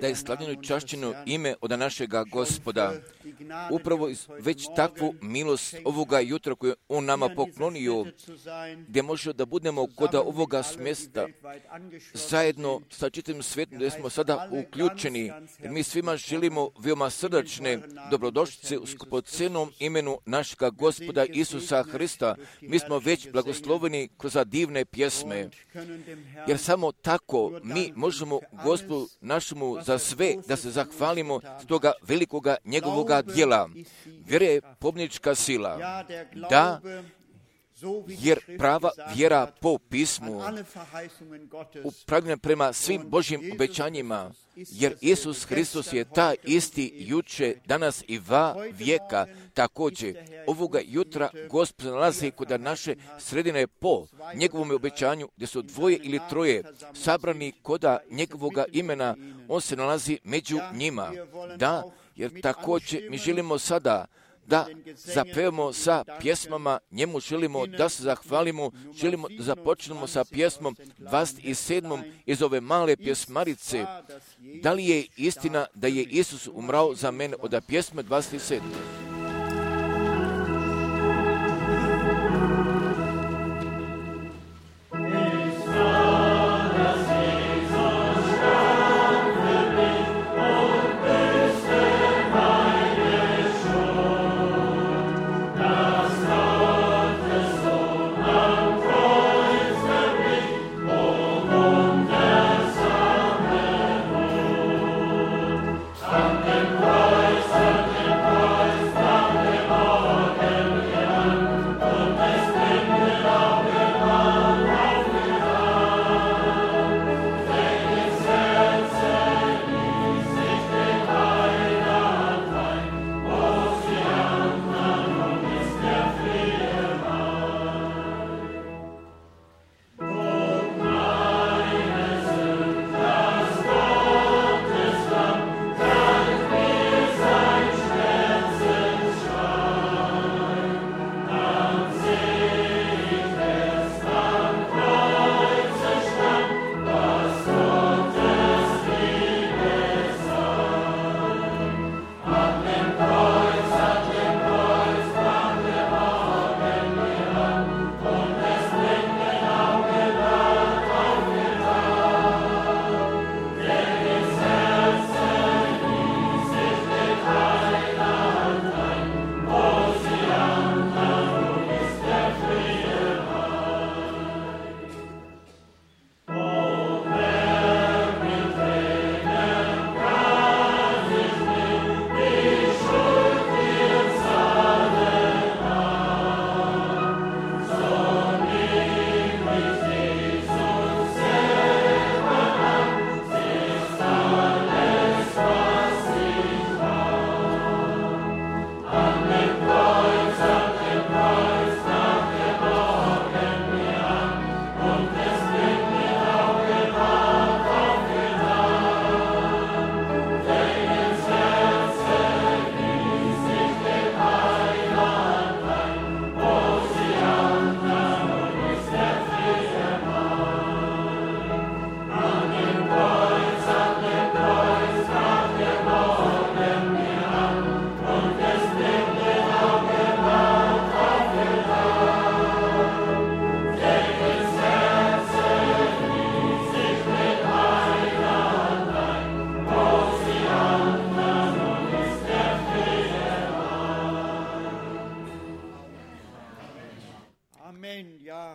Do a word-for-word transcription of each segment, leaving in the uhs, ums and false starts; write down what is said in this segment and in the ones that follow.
Da je slavljeno i čašćeno ime od našega Gospoda. Upravo već takvu milost ovoga jutra koju On nama poklonio, gdje može da budemo kod ovoga smjesta zajedno sa čitavim svijetom, gdje smo sada uključeni. Jer mi svima želimo veoma srdačne dobrodošlice u skupocenom imenu našega Gospoda Isusa Hrista. Mi smo već blagosloveni kroz divne pjesme, jer samo tako mi možemo Gospodu našemu za sve da se zahvalimo s toga velikoga njegovoga djela. Vjera je pobjednička sila. Da, jer prava vjera po pismu upravljena prema svim Božjim obećanjima, jer Isus Hristos je ta isti juče, danas i va vijeka. Također, ovoga jutra Gospod nalazi kod naše sredine po njegovom obećanju, gdje su dvoje ili troje sabrani koda njegovoga imena, on se nalazi među njima. Da, jer također mi želimo sada da zapevamo sa pjesmama, njemu želimo da se zahvalimo, želimo da započnemo sa pjesmom dvadeset sedmom iz ove male pjesmarice. Da li je istina da je Isus umrao za mene, od pjesme dvadeset sedme.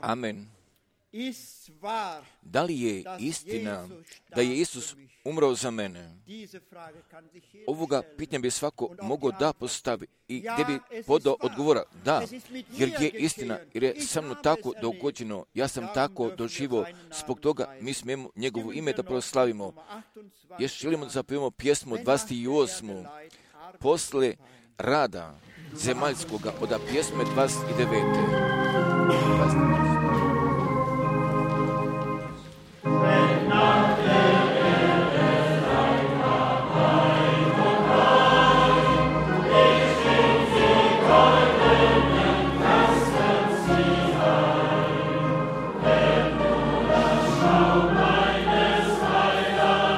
Amen. Da li je istina da je Isus umrao za mene? Ovoga pitanja bi svako mogao da postavi i gdje bi podao odgovora. Da, jer je istina, jer je sa mnom tako dogođeno, ja sam tako doživo, zbog toga mi smijemo njegovo ime da proslavimo. Još želimo da zapevamo pjesmu dvadeset osmu posle rada zemaljskoga, od pjesme dvadeset devete. dvadeset devete. Meines Heilands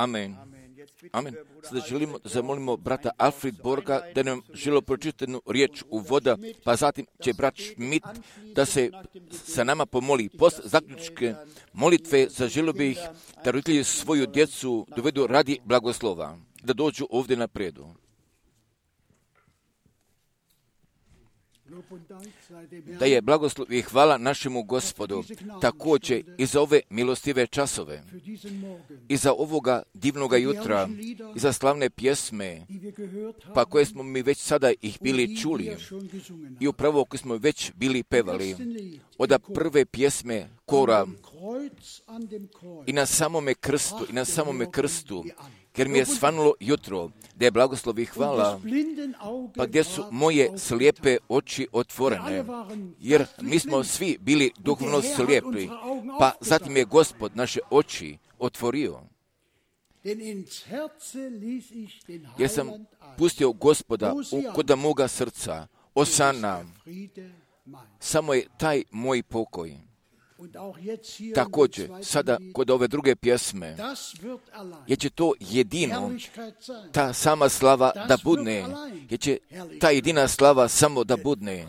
Amen. Amen. Sada želimo da zamolimo brata Alfred Borga da nam želi pročitati jednu riječ u voda, pa zatim će brat Schmidt da se sa nama pomoli. Post zaključke molitve zaželio bih da roditelji svoju djecu dovedu radi blagoslova, da dođu ovdje na predu. Da je blagoslov i hvala našemu Gospodu također i za ove milostive časove, i za ovoga divnoga jutra, i za slavne pjesme, pa koje smo mi već sada ih bili čuli, i upravo koje smo već bili pevali, od prve pjesme kora, i na samome krstu, i na samome krstu, jer mi je svanulo jutro, da je blagoslov i hvala, pa gdje su moje slijepe oči otvorene, jer mi smo svi bili duhovno slijepi, pa zatim je Gospod naše oči otvorio. Jer sam pustio Gospoda u koda moga srca, osana, samo je taj moj pokoj. Također, sada kod ove druge pjesme, jer će to jedino, ta sama slava da budne, jer će ta jedina slava samo da budne,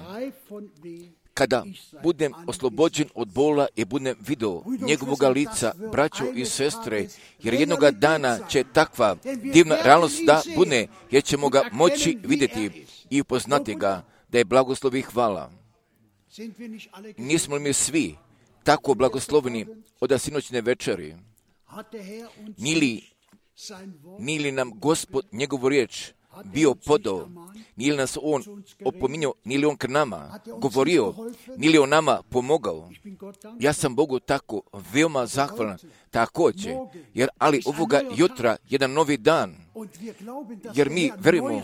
kada budem oslobođen od bola i budem vidio njegovoga lica, braćo i sestre, jer jednoga dana će takva divna realnost da budne, jer ćemo ga moći vidjeti i upoznati ga, da je blagoslov i hvala. Nismo li mi svi tako blagosloveni od sinoćne večeri? Nili, nili nam Gospod njegovu riječ bio podao, nili nas on opominjao, nili on k nama govorio, nili on nama pomogao. Ja sam Bogu tako veoma zahvalan također, jer ali ovoga jutra jedan novi dan, jer mi verujemo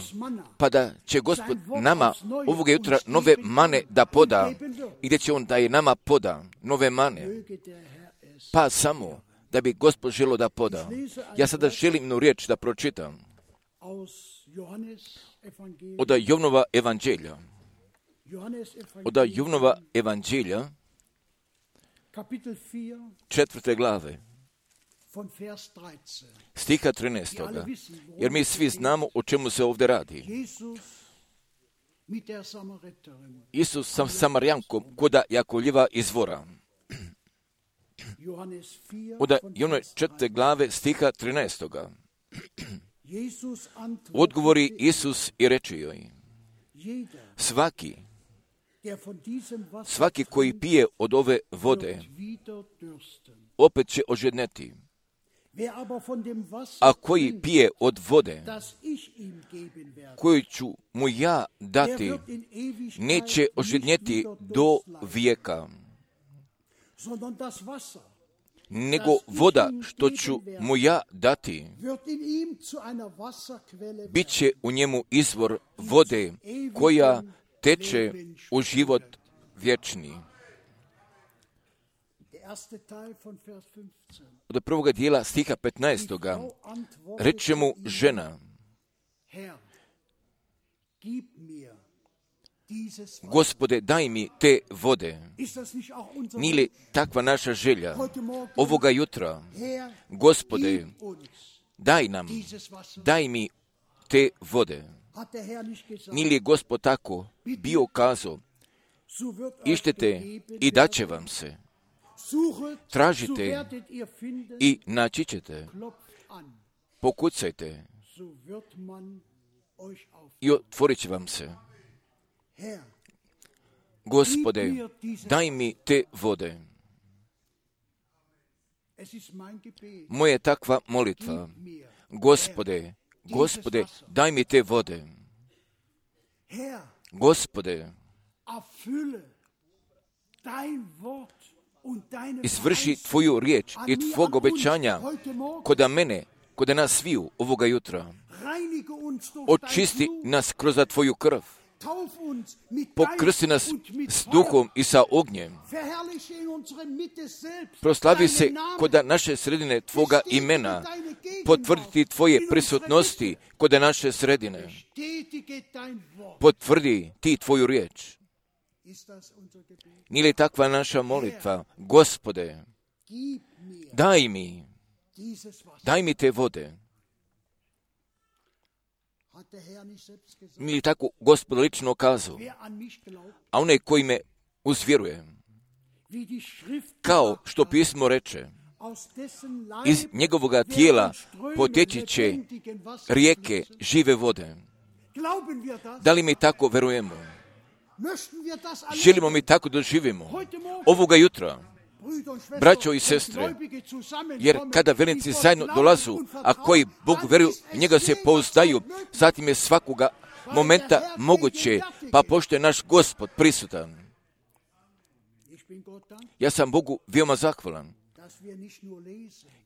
pa da će Gospod nama ovoga jutra nove mane da poda, i gdje će on da je nama poda nove mane, pa samo da bi Gospod želio da poda. Ja sada želim jednu riječ da pročitam od Jovnova evanđelja, od Jovnova evanđelja, četvrte glave, stiha trinaestoga, jer mi svi znamo o čemu se ovdje radi. Isus sa Samarijankom koda Jakovljeva izvora. Od Jovnove četvrte glave, stiha trinaestoga. Odgovori Isus i reče joj, svaki, svaki koji pije od ove vode, opet će ožedneti. A koji pije od vode, koju ću mu ja dati, neće ožednjeti do vijeka, nego voda što ću mu ja dati, bit će u njemu izvor vode koja teče u život vječni. Od prvoga dijela stiha petnaestoga reče mu žena, Gospode, daj mi te vode. Nije li takva naša želja ovoga jutra? Gospode, daj nam, daj mi te vode. Nije li Gospod tako bio kazao, ištete i daće vam se, tražite i naći ćete, pokucajte i otvorit će vam se. Gospode, daj mi te vode. Moja je takva molitva. Gospode, Gospode, daj mi te vode. Gospode, izvrši tvoju riječ i tvog obećanja koda mene, koda nas sviju ovoga jutra. Očisti nas kroz tvoju krv. Pokrsti nas s duhom i sa ognjem. Proslavi se koda naše sredine tvoga imena. Potvrditi tvoje prisutnosti koda naše sredine. Potvrdi ti tvoju riječ. Nije li takva naša molitva? Gospode, daj mi daj mi te vode. Mi je tako Gospod lično kazao, a onaj koji me uzvjeruje, kao što pismo reče, iz njegovoga tijela poteći će rijeke žive vode. Da li mi tako verujemo? Želimo mi tako da živimo ovoga jutra, braćo i sestre, jer kada vernici zajedno dolazu, a koji Bog veruju, njega se pouzdaju, zatim je svakoga momenta moguće, pa pošto je naš Gospod prisutan. Ja sam Bogu veoma zahvalan.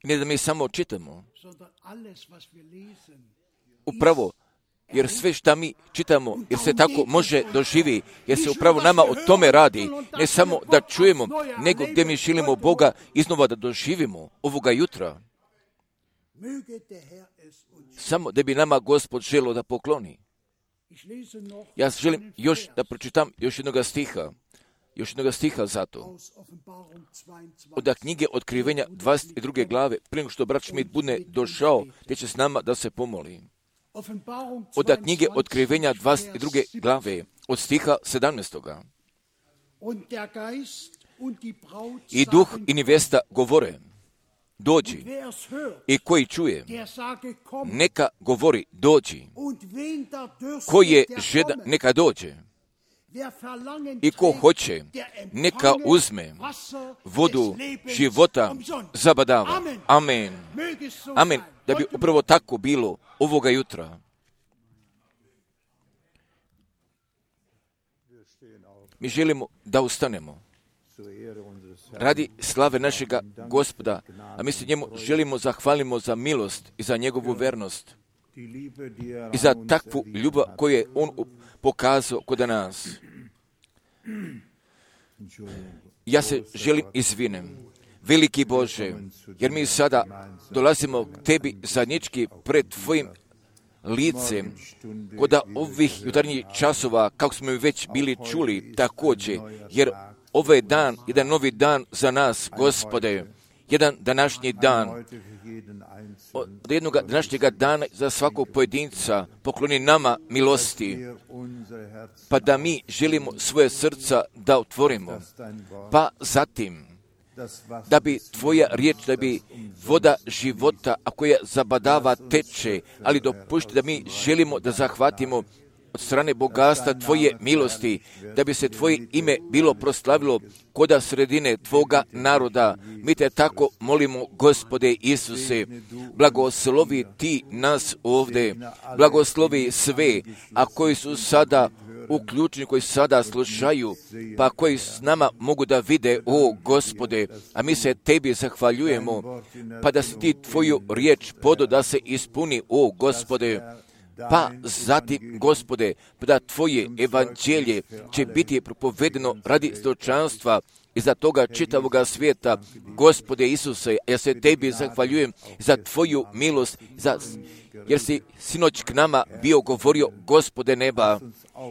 I ne da mi samo čitamo, upravo, jer sve što mi čitamo, jer se tako može doživi, jer se upravo nama o tome radi, ne samo da čujemo, nego gdje mi želimo Boga iznova da doživimo ovoga jutra. Samo da bi nama Gospod želio da pokloni. Ja želim još da pročitam još jednoga stiha, još jednoga stiha zato. Od knjige Otkrivenja dvadeset druge glave, prije nego što brat Schmidt bude došao, te će s nama da se pomoli. Od knjige Otkrivenja dvadeset druge glave, od stiha sedamnaestoga. I duh i nevesta govore, dođi, i koji čuje, neka govori, dođi. Koji je žedan, neka dođe. I ko hoće, neka uzme vodu života zabadava. Amen. Amen. Da bi upravo tako bilo ovoga jutra. Mi želimo da ustanemo radi slave našega Gospoda, a mi se njemu želimo zahvalimo za milost i za njegovu vernost i za takvu ljubav koju je on pokazao kod nas. Ja se želim izvinem, veliki Bože, jer mi sada dolazimo k tebi zajednički pred tvojim licem, kod ovih jutarnjih časova, kako smo već bili čuli, također, jer ovo je dan, jedan novi dan za nas, Gospode, jedan današnji dan, od jednog današnjega dana za svakog pojedinca pokloni nama milosti, pa da mi želimo svoje srca da otvorimo, pa zatim da bi tvoja riječ, da bi voda života, a koja zabadava teče, ali dopušti da mi želimo da zahvatimo od strane bogatstva tvoje milosti, da bi se tvoje ime bilo proslavilo koda sredine tvoga naroda. Mi te tako molimo, Gospode Isuse, blagoslovi ti nas ovdje, blagoslovi sve, a koji su sada uključeni, koji sada slušaju, pa koji s nama mogu da vide, o Gospode, a mi se tebi zahvaljujemo, pa da si ti tvoju riječ podo da se ispuni, o Gospode. Pa zatim, Gospode, da tvoje evanđelje će biti propovedeno radi stočanstva i za toga čitavoga svijeta. Gospode Isuse, ja se tebi zahvaljujem za tvoju milost, za, jer si sinoć k nama bio govorio, Gospode neba,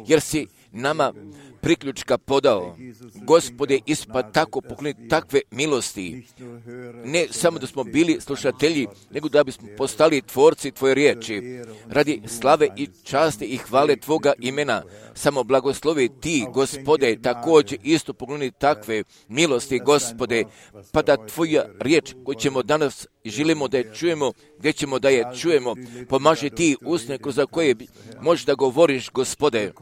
jer si nama priključka podao. Gospode, ispa tako pokloni takve milosti. Ne samo da smo bili slušatelji, nego da bismo postali tvorci tvoje riječi. Radi slave i časti i hvale tvoga imena. Samo blagoslovi ti, Gospode, također isto pokloni takve milosti, Gospode, pa da tvoja riječ koju ćemo danas želimo da je čujemo, gdje ćemo da je čujemo, pomaži ti usne kroz koje možeš da govoriš, Gospode,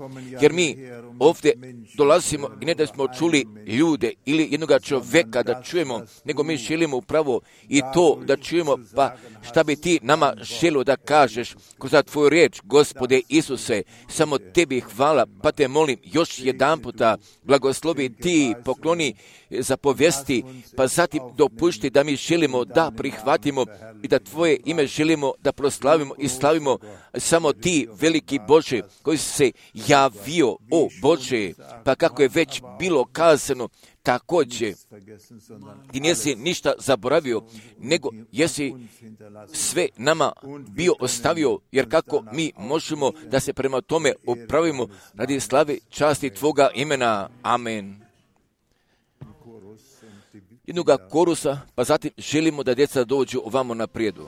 jer mi ovdje dolazimo i ne da smo čuli ljude ili jednoga čovjeka da čujemo, nego mi želimo upravo i to da čujemo, pa šta bi ti nama želio da kažeš kroz tvoju riječ, Gospode Isuse, samo tebi hvala, pa te molim još jedan puta, blagoslovi ti, pokloni zapovesti, pa zatim dopušti da mi želimo da prihvatimo i da tvoje ime želimo da proslavimo i slavimo, samo ti, veliki Bože, koji si se javio, o Bože, pa kako je već bilo kazano, također, ti nisi ništa zaboravio, nego jesi sve nama bio ostavio, jer kako mi možemo da se prema tome upravimo radi slave časti tvoga imena. Amen. jednoga korusa, pa zatim želimo da djeca dođu ovamo na prijedu.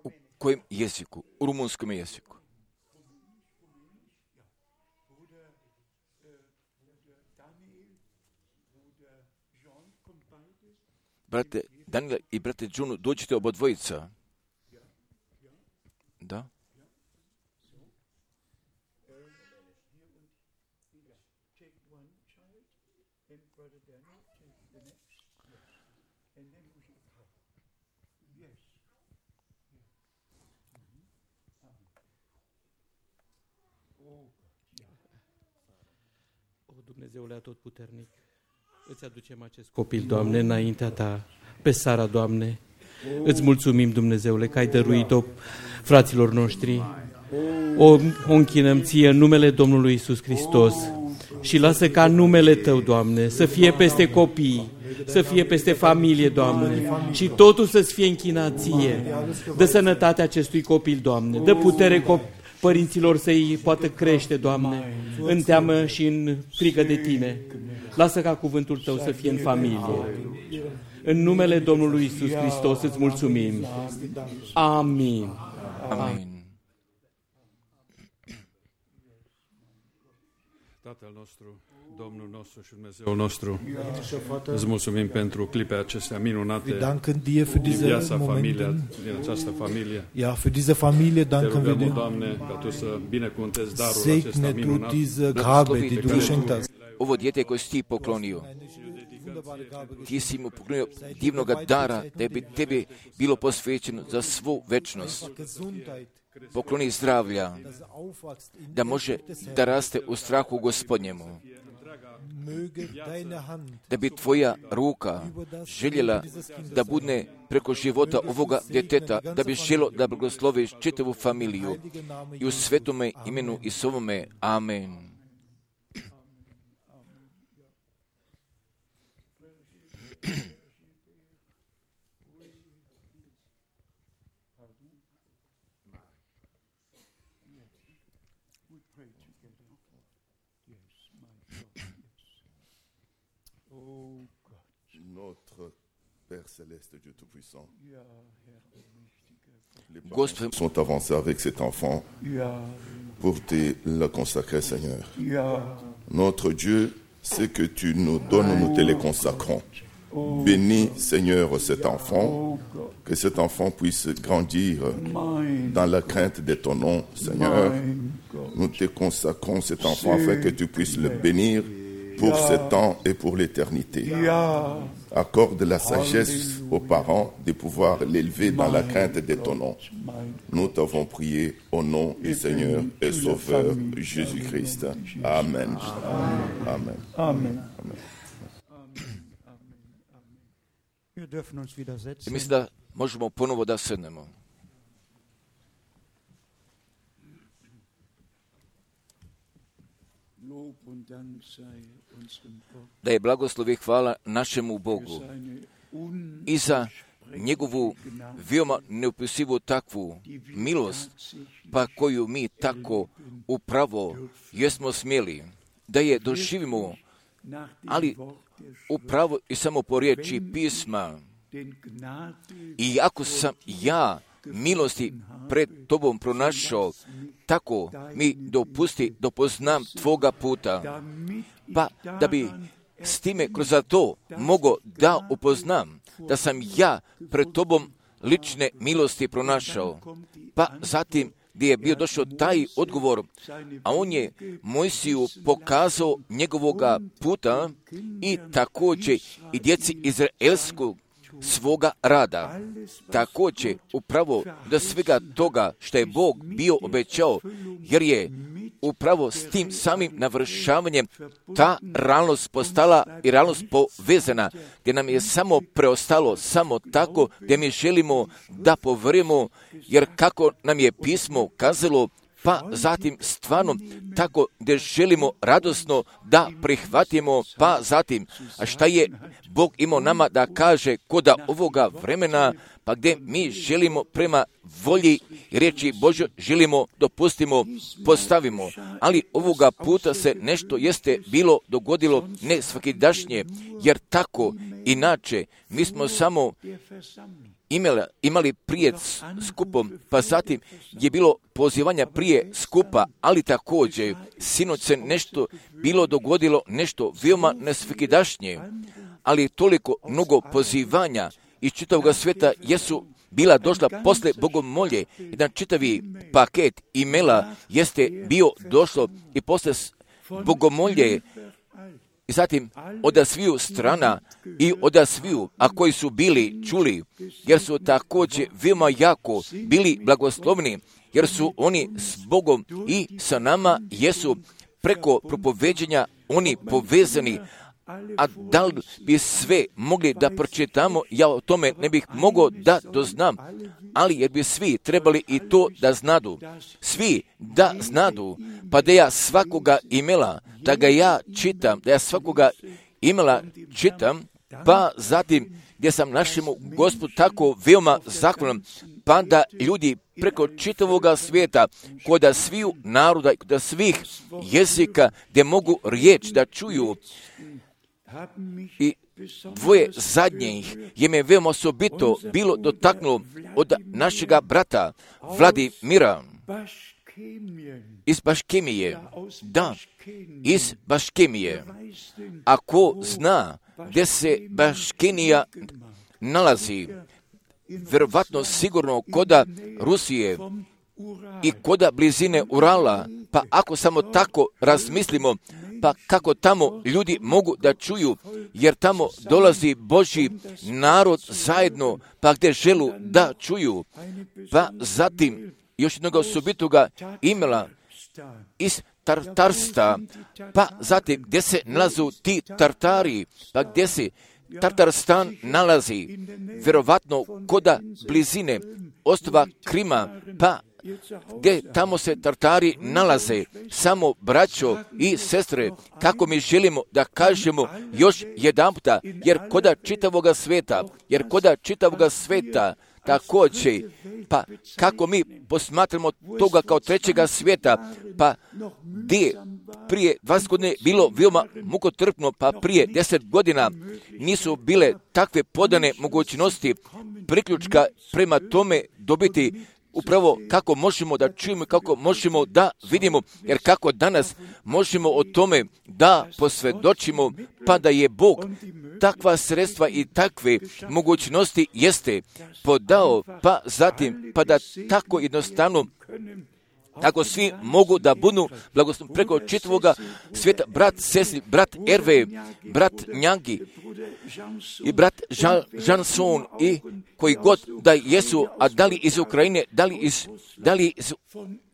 U kojem jeziku? U rumunskom jeziku. Brate Daniela i brate Džunu, dođite oba dvojica. Da? Dumnezeule Atotputernic, îți aducem acest copil, Doamne, înaintea Ta, pe Sara, Doamne. Îți mulțumim, Dumnezeule, că ai dăruit-o fraților noștri. O, o închinăm Ție în numele Domnului Iisus Hristos și lasă ca numele Tău, Doamne, să fie peste copii, să fie peste familie, Doamne, și totul să-ți fie închinat Ție. Dă sănătatea acestui copil, Doamne, dă putere copil, părinților să-i poată crește, Doamne, în teamă și în frică de Tine. Lasă ca cuvântul Tău să fie în familie. În numele Domnului Iisus Hristos îți mulțumim. Amin. Amin. Tatăl nostru, Domnul nostru și Dumnezeul nostru, îți mulțumim pentru clipe acestea minunate din viața familiei, din această familie. Ja, für diese Familie danken wir dir. Doamne, ca Tu să binecuvântezi darul acesta Segne du minunat. diese Gabe, die du geschenkt hast. Ovo dijete koje si ti poklonio, ti si mu poklonio divnoga dara da bi tebi bilo posvećeno za svu večnost. Pokloni zdravlja, da može da raste u strahu Gospodnjemu, da bi tvoja ruka željela da budne preko života ovoga djeteta, da bi želo da blagosloviš čitavu familiju i u svetome imenu Isovome. Amen. Notre Père céleste, Dieu tout-puissant, Gospod, sont avancés avec cet enfant pour te le consacrer, Seigneur. Notre Dieu, ce que tu nous donnes, nous te le consacrons. Bénis, Seigneur, cet enfant, que cet enfant puisse grandir dans la crainte de ton nom, Seigneur. Nous te consacrons cet enfant afin que tu puisses le bénir pour ce temps et pour l'éternité. Accorde la sagesse aux parents de pouvoir l'élever dans la crainte de ton nom. Nous t'avons prié au nom du Seigneur et Sauveur Jésus-Christ. Amen. Amen. Amen. mislim da možemo ponovo da sednemo. Da je blagoslov i hvala našemu Bogu i za njegovu veoma neopisivu takvu milost, pa koju mi tako upravo jesmo smjeli da je doživimo, ali upravo i samo po riječi pisma. I ako sam ja milosti pred tobom pronašao, tako mi dopusti da poznam tvoga puta, pa da bi s time kroz to mogo da upoznam da sam ja pred tobom lične milosti pronašao, pa zatim gdje je bio došao taj odgovor, a on je Mojsiju pokazao njegovoga puta i također i djeci izraelskog svoga rada. Također upravo do svega toga što je Bog bio obećao, jer je upravo s tim samim navršavanjem ta realnost postala i realnost povezana, gdje nam je samo preostalo samo tako gdje mi želimo da povjerujemo, jer kako nam je pismo kazalo, pa zatim stvarno tako gdje želimo radosno da prihvatimo, pa zatim, a šta je Bog imao nama da kaže koda ovoga vremena, pa gdje mi želimo prema volji i riječi Božjoj želimo, dopustimo, postavimo. Ali ovoga puta se nešto jeste bilo dogodilo ne svakidašnje, jer tako inače mi smo samo imali, imali prije skupom, pa zatim je bilo pozivanja prije skupa, ali također sinoć se nešto bilo dogodilo, nešto veoma nesvakidašnje, ali toliko mnogo pozivanja iz čitavog svijeta jesu bila došla posle bogomolje. Jedan čitavi paket imela jeste bio došlo i posle bogomolje i zatim od sviju strana i od sviju, a koji su bili čuli, jer su također veoma jako bili blagoslovni, jer su oni s Bogom i sa nama jesu preko propoveđenja oni povezani. A da li bi sve mogli da pročitamo, ja o tome ne bih mogao da doznam, ali jer bi svi trebali i to da znadu. Svi da znadu, pa da ja svakoga imela, da ga ja čitam, da ja svakoga imela čitam, pa zatim gdje sam našemu Gospodu tako veoma zahvalan, pa da ljudi preko čitavoga svijeta, koda sviju naroda i koda svih jezika, gdje mogu riječ da čuju. I dvoje zadnjih je me veoma osobito bilo dotaknulo od našega brata Vladimira iz Baškemije. Da, iz Baškemije. Ako zna gdje se Baškenija nalazi, vjerovatno sigurno koda Rusije i koda blizine Urala, pa ako samo tako razmislimo, pa kako tamo ljudi mogu da čuju, jer tamo dolazi Božji narod zajedno, pa gdje želu da čuju. Pa zatim još jednog osobitoga imela iz Tartarsta, pa zatim gdje se nalazu ti Tartari, pa gdje se Tartarstan nalazi, vjerovatno koda blizine ostrva Krima, pa gdje tamo se Tartari nalaze, samo braćo i sestre, kako mi želimo da kažemo još jedanputa, jer koda čitavoga sveta, jer koda čitavoga sveta, također, pa kako mi posmatramo toga kao trećega svijeta, pa gdje prije dvadeset godina bilo veoma mukotrpno, pa prije deset godina nisu bile takve podane mogućnosti priključka prema tome dobiti upravo kako možemo da čujemo, kako možemo da vidimo, jer kako danas možemo o tome da posvjedočimo, pa da je Bog takva sredstva i takve mogućnosti jeste podao, pa zatim, pa da tako jednostavno tako svi mogu da budu blagosloveni preko čitavoga svijeta. Brat Cecil, brat Erve, brat Njangi i brat Janson i koji god da jesu, a da li iz Ukrajine, da li iz, da li iz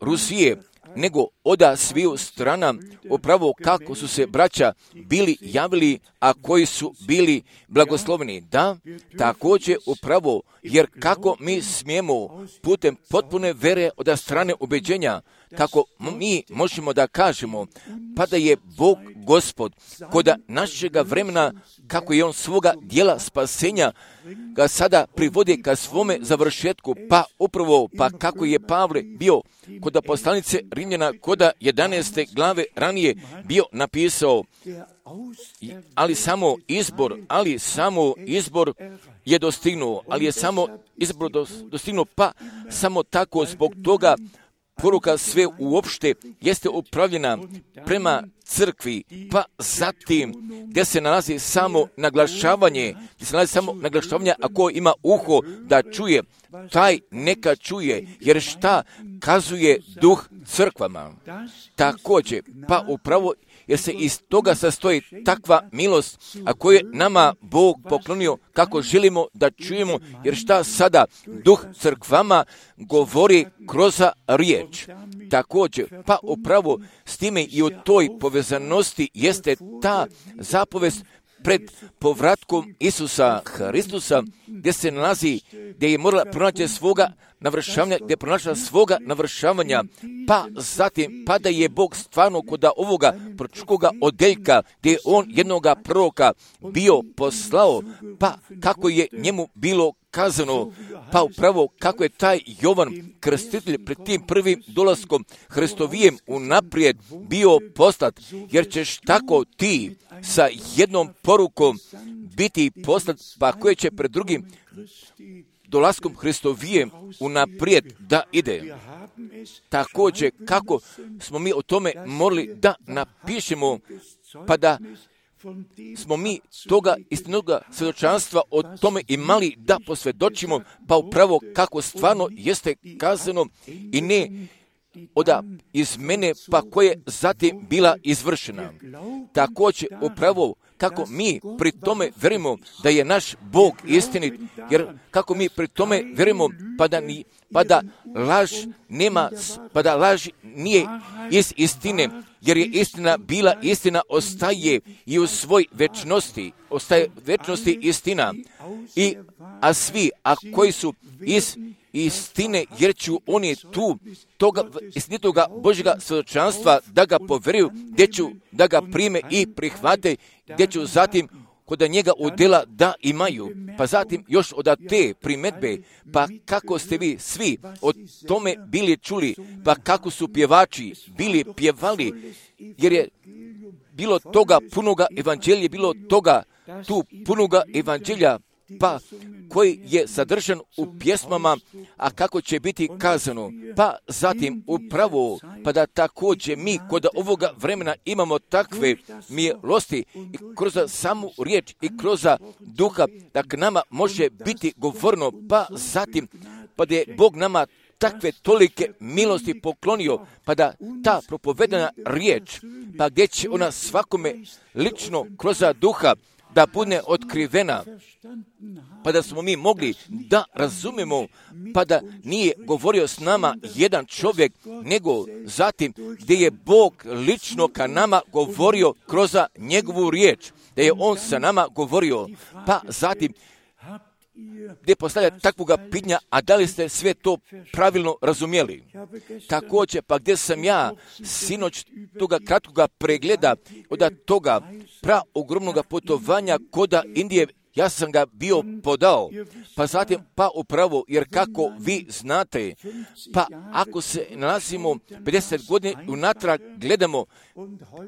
Rusije, nego oda sviju strana, upravo kako su se braća bili javili, a koji su bili blagosloveni. Da, također upravo, jer kako mi smijemo putem potpune vere od strane ubeđenja, kako mi možemo da kažemo, pa da je Bog Gospod koda našega vremena, kako je On svoga dijela spasenja ga sada privodi ka svome završetku, pa upravo, pa kako je Pavle bio koda poslanice Rimljana, koda jedanaeste glave ranije bio napisao, ali samo izbor, ali samo izbor je dostignuo, ali je samo izbor dostignuo, pa samo tako zbog toga poruka sve uopšte jeste upravljena prema crkvi, pa zatim gdje se nalazi samo naglašavanje, gdje se nalazi samo naglašavanje, ako ima uho da čuje, taj neka čuje, jer šta kazuje duh crkvama. Također, pa upravo jer se iz toga sastoji takva milost, a koju je nama Bog poklonio kako želimo da čujemo, jer šta sada duh crkvama govori kroz riječ. Također, pa upravo s time i u toj povezanosti jeste ta zapovest pred povratkom Isusa Hristusa, gdje se nalazi, gdje je morala pronaći svoga navršavanja, gdje je pronašla svoga navršavanja, pa zatim, pa da je Bog stvarno kod ovoga proročkoga odeljka, gdje je on jednoga proroka bio poslao, pa kako je njemu bilo kazano, pa upravo kako je taj Jovan Krstitelj pred tim prvim dolaskom Hristovijem unaprijed bio poslat, jer ćeš tako ti sa jednom porukom biti poslat, pa koje će pred drugim dolaskom Hristovijem unaprijed da ide. Također, kako smo mi o tome morali da napišemo, pa da smo mi toga istinoga svjedočanstva o tome imali da posvjedočimo, pa upravo kako stvarno jeste kazano i ne oda iz mene, pa koje zatim bila izvršena. Također, upravo kako mi pri tome verimo da je naš Bog istinit, jer kako mi pri tome verimo pa da, ni, pa da laž nema, pa da laž nije iz istine, jer je istina bila, istina ostaje i u svoj večnosti, ostaje večnosti istina. I, a svi, a koji su iz istine, jer ću oni tu toga istinitoga Božjega svjedočanstva da ga poveruju, gdje ću da ga prime i prihvate, gdje ću zatim kod njega udjela da imaju. Pa zatim još od te primedbe, pa kako ste vi svi o tome bili čuli, pa kako su pjevači bili pjevali, jer je bilo toga punoga evanđelja, bilo toga tu punoga evanđelja, pa koji je sadržan u pjesmama, a kako će biti kazano. Pa zatim upravo, pa da također mi kod ovoga vremena imamo takve milosti i kroz samu riječ i kroz duha, da k nama može biti govorno, pa zatim, pa da je Bog nama takve tolike milosti poklonio, pa da ta propovedana riječ, pa gdje će ona svakome lično kroz duha da bude otkrivena, pa da smo mi mogli da razumemo, pa da nije govorio s nama jedan čovjek, nego zatim gdje je Bog lično ka nama govorio kroz njegovu riječ, da je on sa nama govorio, pa zatim gdje postavlja takvoga pitanja, a da li ste sve to pravilno razumjeli? Također, pa gdje sam ja sinoć toga kratkoga pregleda od toga pra ogromnog putovanja koda Indije, ja sam ga bio podao, pa zatim, pa upravo, jer kako vi znate, pa ako se nalazimo pedeset godina unatrag, gledamo,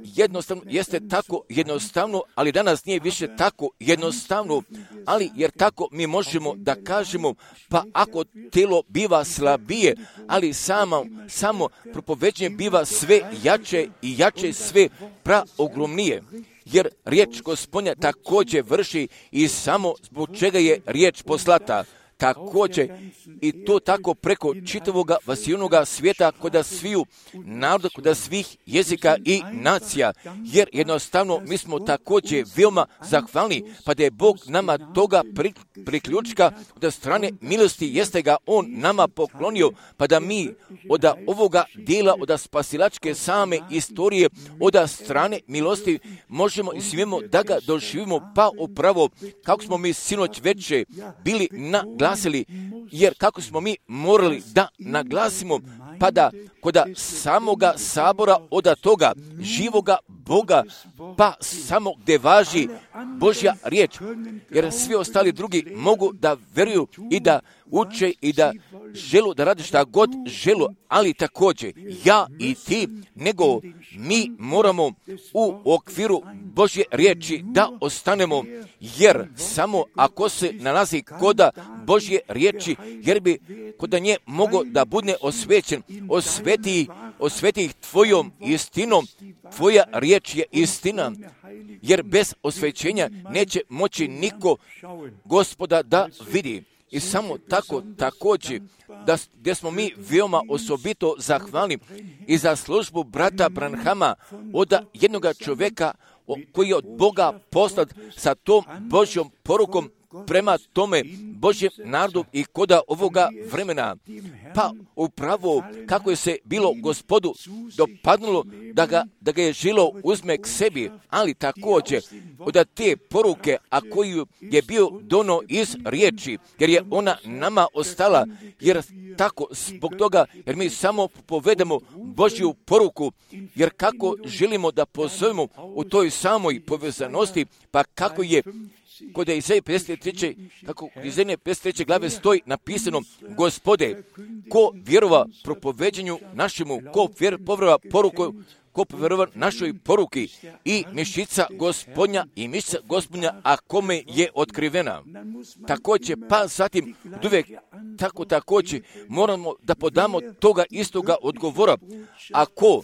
jednostavno, jeste tako jednostavno, ali danas nije više tako jednostavno, ali jer tako mi možemo da kažemo, pa ako telo biva slabije, ali samo, samo propoveđenje biva sve jače i jače, sve praogromnije. Jer riječ Gospodnja također vrši i samo zbog čega je riječ poslata. Također i to tako preko čitavoga vasijunoga svijeta koda sviju naroda, koda svih jezika i nacija. Jer jednostavno mi smo također veoma zahvalni, pa da je Bog nama toga priključka od strane milosti, jeste ga On nama poklonio, pa da mi od ovoga dijela, od spasilačke same istorije, od strane milosti možemo i smijemo da ga doživimo, pa upravo kako smo mi sinoć veče bili naglasili, jer kako smo mi morali da naglasimo, pa da kod samoga sabora od toga živoga Boga, pa samo gdje važi Božja riječ, jer svi ostali drugi mogu da veruju i da uče i da želu da rade šta god želu, ali također ja i ti, nego mi moramo u okviru Božje riječi da ostanemo, jer samo ako se nalazi koda Božje riječi, jer bi kod nje mogo da bude osvećen. Osveti, osveti ih tvojom istinom, tvoja riječ je istina, jer bez osvećenja neće moći niko Gospoda da vidi. I samo tako također, da, gdje smo mi veoma osobito zahvalni i za službu brata Branhama od jednoga čovjeka koji je od Boga poslat sa tom Božjom porukom prema tome Božjem narodu i koda ovoga vremena. Pa upravo kako je se bilo Gospodu dopadnulo da ga, da ga je žilo uzme k sebi, ali također od te poruke, a koju je bio dono iz riječi, jer je ona nama ostala, jer tako zbog toga, jer mi samo povedemo Božju poruku, jer kako želimo da pozovemo u toj samoj povezanosti, pa kako je kod Izaije pedeset treće, kako Izaije pedeset treće glave stoji napisano: Gospode, ko vjerova propoveđenju našemu, ko vjer, povrova poruku, ko povjerova našoj poruki i mišica Gospodnja i mišica Gospodnja, a kome je otkrivena. Također, pa zatim uvijek tako također moramo da podamo toga istoga odgovora. Ako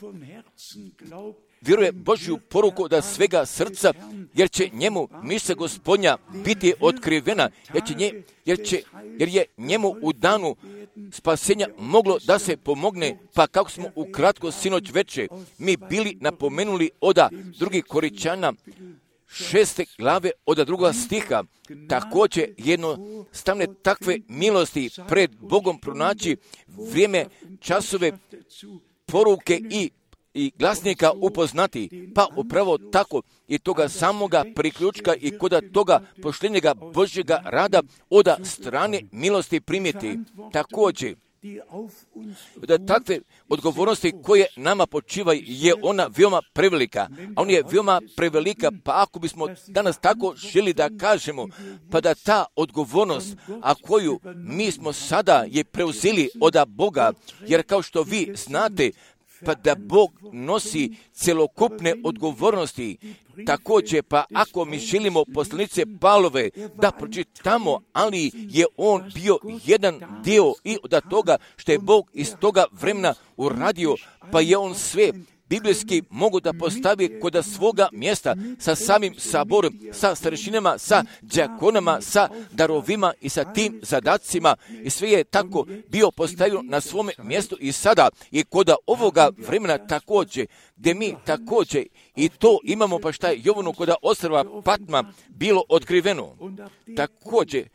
vjeruje Božju poruku da svega srca, jer će njemu mišica Gospodnja biti otkrivena, jer, će nje, jer, će, jer je njemu u danu spasenja moglo da se pomogne, pa kako smo ukratko sinoć veče mi bili napomenuli oda drugih Koričana šeste glave od druga stiha, također jednostavne takve milosti pred Bogom pronaći vrijeme, časove, poruke i i glasnika upoznati, pa upravo tako i toga samoga priključka i koda toga poštenjega Božjega rada od strane milosti primiti. Također, da takve odgovornosti koje nama počivaju je ona veoma prevelika, a on je veoma prevelika, pa ako bismo danas tako želi da kažemo, pa da ta odgovornost, a koju mi smo sada je preuzeli od Boga, jer kao što vi znate, pa da Bog nosi celokupne odgovornosti. Također, pa ako mi želimo poslanice Pavlove da pročitamo, ali je on bio jedan dio i od toga što je Bog iz toga vremena uradio, pa je on sve biblijski mogu da postavi kod svoga mjesta sa samim saborom, sa starešinama, sa đakonama, sa darovima i sa tim zadacima, i sve je tako bio postavio na svome mjestu i sada i kod ovoga vremena također, gdje mi također i to imamo, pa šta je Jovanu kod ostrva Patma bilo otkriveno. Također,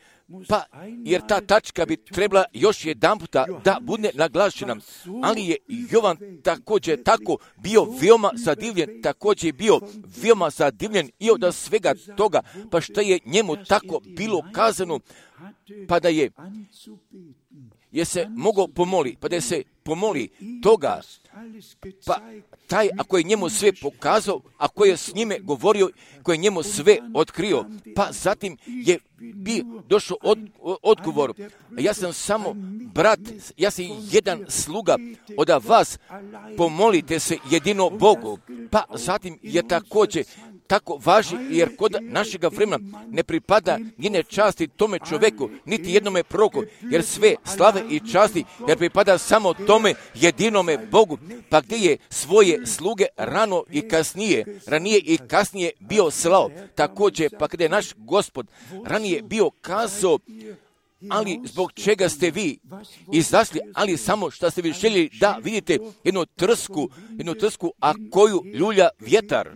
pa jer ta tačka bi trebala još jedan puta da bude naglašena, ali je Jovan također tako bio veoma zadivljen, također bio veoma zadivljen i od svega toga, pa što je njemu tako bilo kazano, pa da je je se mogao pomoli, pa da je se pomoli toga, pa taj ako je njemu sve pokazao, ako je s njime govorio, ako je njemu sve otkrio, pa zatim je bi došao od, odgovor, ja sam samo brat, ja sam jedan sluga od vas, pomolite se jedino Bogu, pa zatim je također tako važi, jer kod našega vremena ne pripada njene časti tome čoveku, niti jednome proroku, jer sve slave i časti, jer pripada samo tome jedinome Bogu, pa gdje je svoje sluge rano i kasnije, ranije i kasnije bio slao. Također, pa gdje je naš Gospod ranije bio kazao, ali zbog čega ste vi izašli, ali samo što ste vi željeli da vidite jednu trsku, jednu trsku, a koju ljulja vjetar.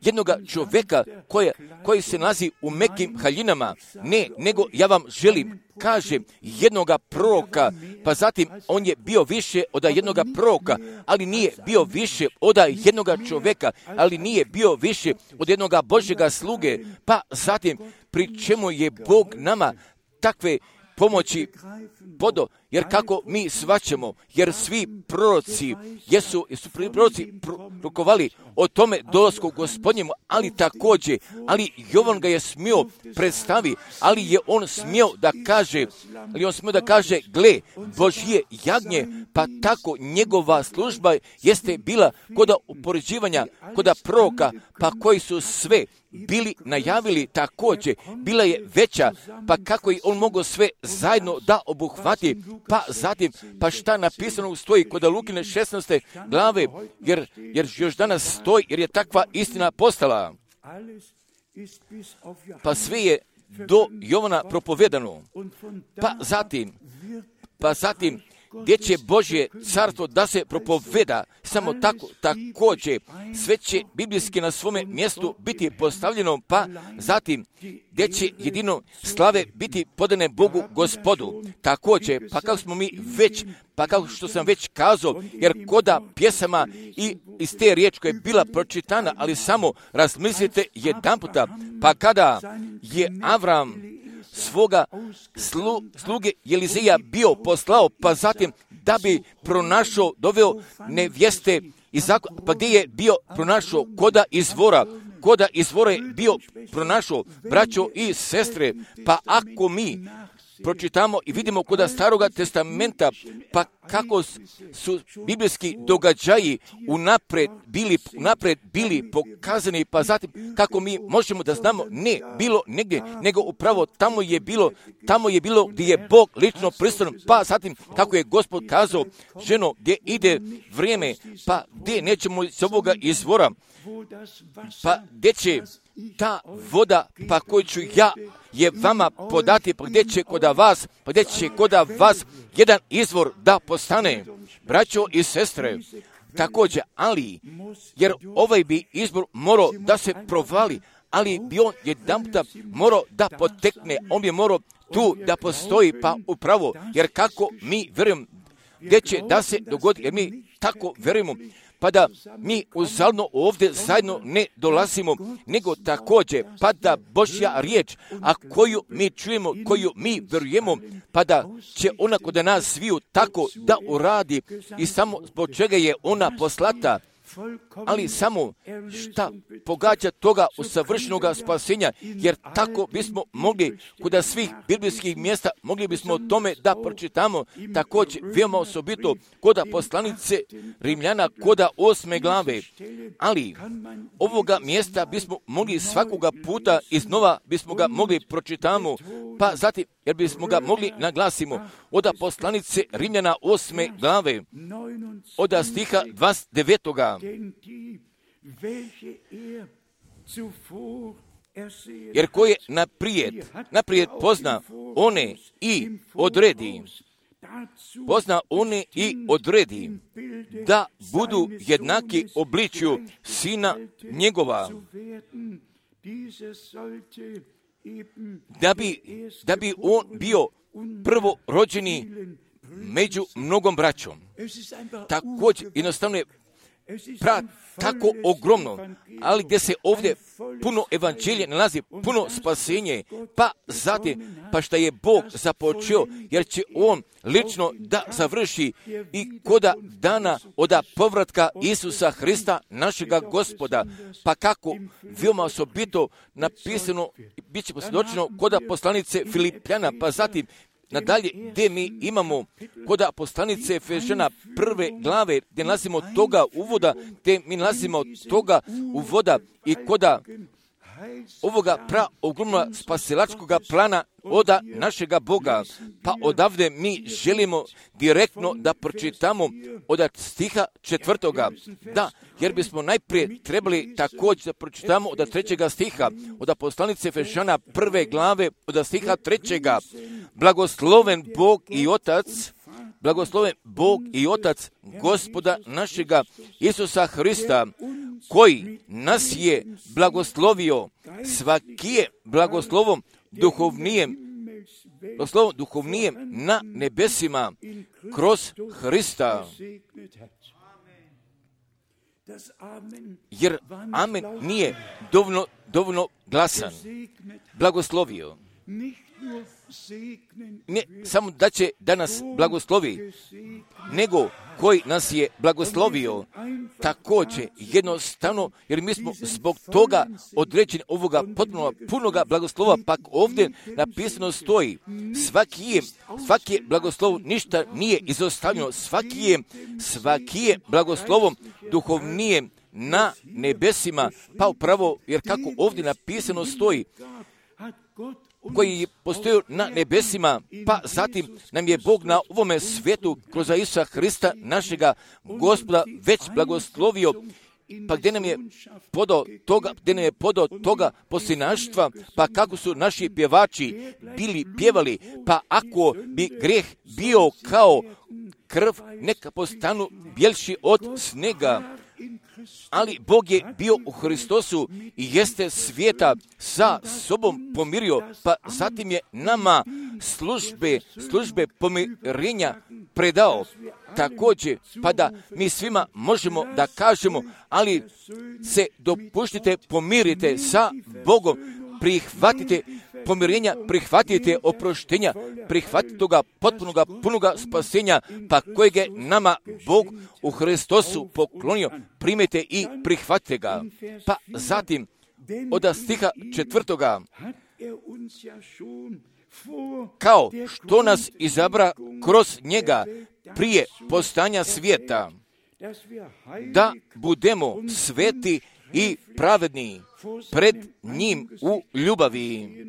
Jednoga čovjeka koja, koji se nalazi u mekim haljinama, ne, nego ja vam želim, kaže jednoga proroka, pa zatim on je bio više od jednoga proroka, ali nije bio više od jednoga čovjeka, ali nije bio više od jednoga Božjega sluge, pa zatim pri čemu je Bog nama takve pomoći podo, jer kako mi svaćamo, jer svi proroci, jesu, jesu proroci prorokovali o tome dolasku Gospodnjemu, ali također, ali Jovan ga je smio predstavi, ali je on smio da kaže, ali on smio da kaže, gle, Božje jagnje, pa tako njegova služba jeste bila koda upoređivanja, koda proroka, pa koji su sve bili najavili također, bila je veća, pa kako je on mogao sve zajedno da obuhvati, pa zatim, pa šta napisano stoji kod Lukine šesnaeste glave, jer, jer još danas stoji, jer je takva istina postala. Pa sve je do Jovana propovedano, pa zatim, pa zatim, gdje će Božje carstvo da se propoveda, samo tako, također, sve će biblijski na svome mjestu biti postavljeno, pa zatim, gdje će jedino slave biti podane Bogu Gospodu. Također, pa kako smo mi već, pa kao što sam već kazao, jer koda pjesama i iz te riječi koja je bila pročitana, ali samo razmislite jedan puta, pa kada je Avram svoga slu, sluge Elizeja bio poslao, pa zatim da bi pronašao, doveo nevjeste iz zakona, pa gdje je bio pronašao koda izvora, koda izvora je bio pronašao braćo i sestre, pa ako mi pročitamo i vidimo koda Staroga testamenta, pa kako su biblijski događaji unapred bili, unapred bili pokazani, pa zatim kako mi možemo da znamo, ne bilo negdje, nego upravo tamo je bilo, tamo je bilo gdje je Bog lično prisutan, pa zatim kako je Gospod kazao, ženo, gdje ide vrijeme, pa gdje nećemo iz ovoga izvora, pa gdje će ta voda, pa koju ću ja je vama podati, pa gdje će koda vas, pa gdje će koda vas jedan izvor da postane, braćo i sestre, također, ali, jer ovaj bi izbor morao da se provali, ali bi on jedan puta morao da potekne, on bi morao tu da postoji, pa upravo, jer kako mi vjerujemo, gdje će da se dogodi, jer mi tako vjerujemo, pa da mi uzalno ovdje zajedno ne dolazimo, nego također, pa da Božja riječ, a koju mi čujemo, koju mi vjerujemo, pa da će ona kod nas sviju tako da uradi i samo zbog čega je ona poslata, ali samo šta pogađa toga usavršenoga spasenja, jer tako bismo mogli kod svih biblijskih mjesta, mogli bismo o tome da pročitamo, također veoma osobito kod poslanice Rimljana kod osme glave, ali ovoga mjesta bismo mogli svakoga puta iznova bismo ga mogli pročitamo, pa zatim jer bismo ga mogli naglasimo od poslanice Rimljana osme glave, od stiha dvadeset devetoga. Jer ko je naprijed, naprijed pozna one i odredi, pozna one i odredi da budu jednaki obličju sina njegova, da bi, da bi on bio prvorođeni među mnogom braćom. Također, jednostavno je pra, tako ogromno, ali gdje se ovdje puno evanđelje nalazi, puno spasenje, pa zatim, pa šta je Bog započeo, jer će on lično da završi i koda dana od povratka Isusa Hrista, našega Gospoda, pa kako veoma osobito napisano, bit će posvjedočeno koda poslanice Filipljana, pa zatim nadalje, gdje mi imamo koda poslanice Efežana prve glave, gdje nalazimo toga uvoda, gdje mi nalazimo toga uvoda i koda ovoga pra ogromna spasilačkoga plana oda našega Boga. Pa odavde mi želimo direktno da pročitamo od stiha četvrtoga. Da, jer bismo najprije trebali također da pročitamo od trećega stiha, od poslanice Efežana prve glave, od stiha trećega. Blagosloven Bog i Otac, blagosloven Bog i Otac Gospoda našega Isusa Hrista, koji nas je blagoslovio svakije blagoslovom duhovnijem, blagoslovom duhovnijem na nebesima kroz Hrista. Jer amen nije dovoljno, dovoljno glasan. Blagoslovio. ne samo da će da nas blagoslovi, nego koji nas je blagoslovio također jednostavno, jer mi smo zbog toga određeni ovoga potpuno punoga blagoslova, pa ovdje napisano stoji, svaki je, svaki je blagoslov, ništa nije izostavljeno, svaki je, svaki je blagoslovom duhovnije na nebesima, pa upravo, jer kako ovdje napisano stoji, koji je postojao na nebesima, pa zatim nam je Bog na ovome svijetu kroz Isusa Hrista, našega Gospoda, već blagoslovio, pa gdje nam je podao toga, gdje nam je podao toga posljednaštva, pa kako su naši pjevači bili pjevali, pa ako bi grijeh bio kao krv, neka postanu bjelši od snega. Ali Bog je bio u Hristosu i jeste svijeta sa sobom pomirio, pa zatim je nama službe, službe pomirenja predao. Također, pa da mi svima možemo da kažemo, ali se dopuštite, pomirite sa Bogom, prihvatite pomirenja, prihvatite oproštenja, prihvatite toga potpunoga, punoga spasenja, pa kojeg je nama Bog u Hristosu poklonio, primite i prihvatite ga. Pa zatim, od stiha četvrtoga, kao što nas izabra kroz njega prije postanja svijeta, da budemo sveti i pravedni pred njim u ljubavi.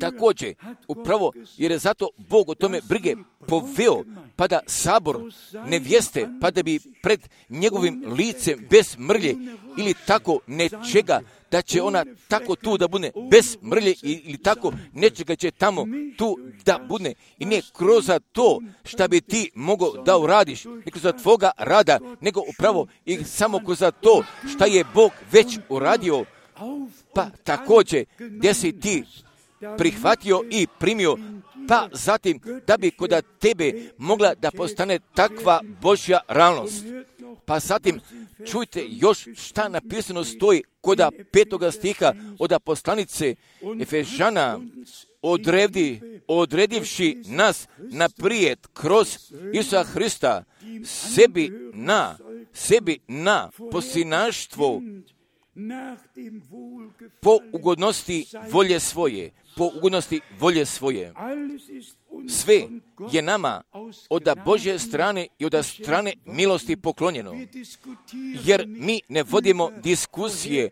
Također, upravo jer je zato Bog o tome brige poveo, pa da sabor nevjeste, pa da bi pred njegovim licem bez mrlje ili tako nečega, da će ona tako tu da bude bez mrlje ili tako nečega će tamo tu da bude. I ne kroz to šta bi ti mogao da uradiš, ne kroz tvoga rada, nego upravo i samo kroz to šta je Bog već uradio, pa također gdje si ti prihvatio i primio, pa zatim da bi kod tebe mogla da postane takva Božja realnost. Pa zatim čujte još šta napisano stoji kod petoga stiha od poslanice Efežana, odredi, odredivši nas naprijed kroz Isusa Hrista sebi na, sebi na posljednaštvo po ugodnosti volje svoje, po ugodnosti volje svoje. Sve je nama od Božje strane i od strane milosti poklonjeno, jer mi ne vodimo diskusije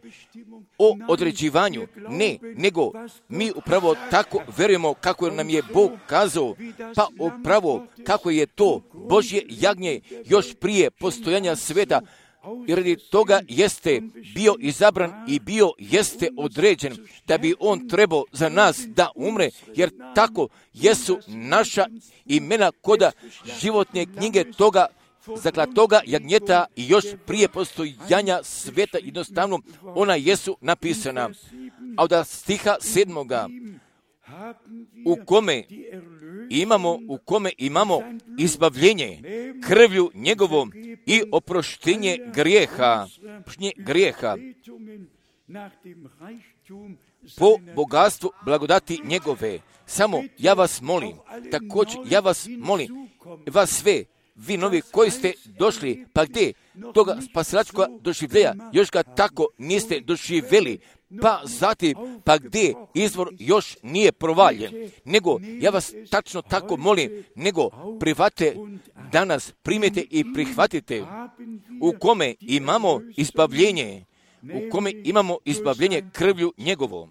o određivanju, ne, nego mi upravo tako verujemo kako nam je Bog kazao, pa upravo kako je to Božje jagnje još prije postojanja sveta, i radi toga jeste bio izabran i bio jeste određen da bi on trebao za nas da umre, jer tako jesu naša imena koda životne knjige toga, dakle toga jagnjeta i još prije postojanja sveta, jednostavno ona jesu napisana. A od stiha sedmoga, u kome imamo, u kome imamo izbavljenje krvlju njegovom i oproštenje grijeha, grijeha po bogatstvu blagodati njegove. Samo ja vas molim, također ja vas molim, vas sve, vi novi koji ste došli, pa gdje toga spasilačkoga doživljeja, još ga tako niste doživjeli, pa zatim, pa gdje izvor još nije provaljen, nego ja vas tačno tako molim, nego prihvatite danas, primite i prihvatite, u kome imamo izbavljenje, u kome imamo izbavljenje krvlju njegovom.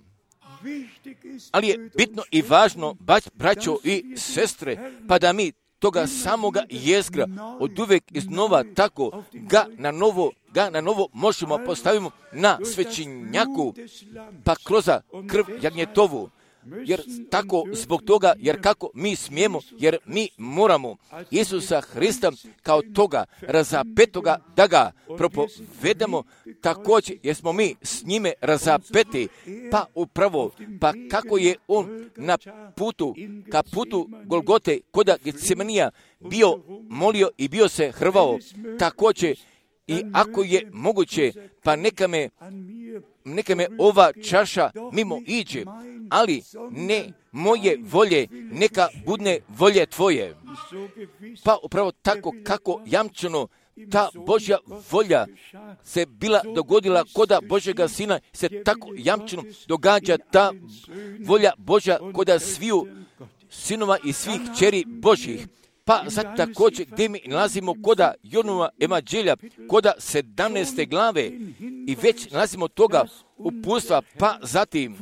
Ali je bitno i važno, braćo i sestre, pa da mi toga samoga jezgra od uvijek iznova tako ga na novo, ga na novo možemo postavimo na svećenjaku, pa kroz krv jagnjetovu, jer tako zbog toga, jer kako mi smijemo, jer mi moramo Isusa Hrista kao toga razapetoga da ga propovedamo, također jer smo mi s njime razapeti, pa upravo, pa kako je on na putu, ka putu Golgote, koda Getsemanija bio molio i bio se hrvao, također I ako je moguće, pa neka me, neka me ova čaša mimo iđe, ali ne moje volje, neka budne volje tvoje. Pa upravo tako kako jamčeno ta Božja volja se bila dogodila koda Božjega Sina, se tako jamčeno događa ta volja Božja koda sviju sinova i svih kćeri Božjih. Pa sad također gdje mi nalazimo koda Johanova evanđelja, koda sedamnaeste glave i već nalazimo toga uputstva, pa zatim,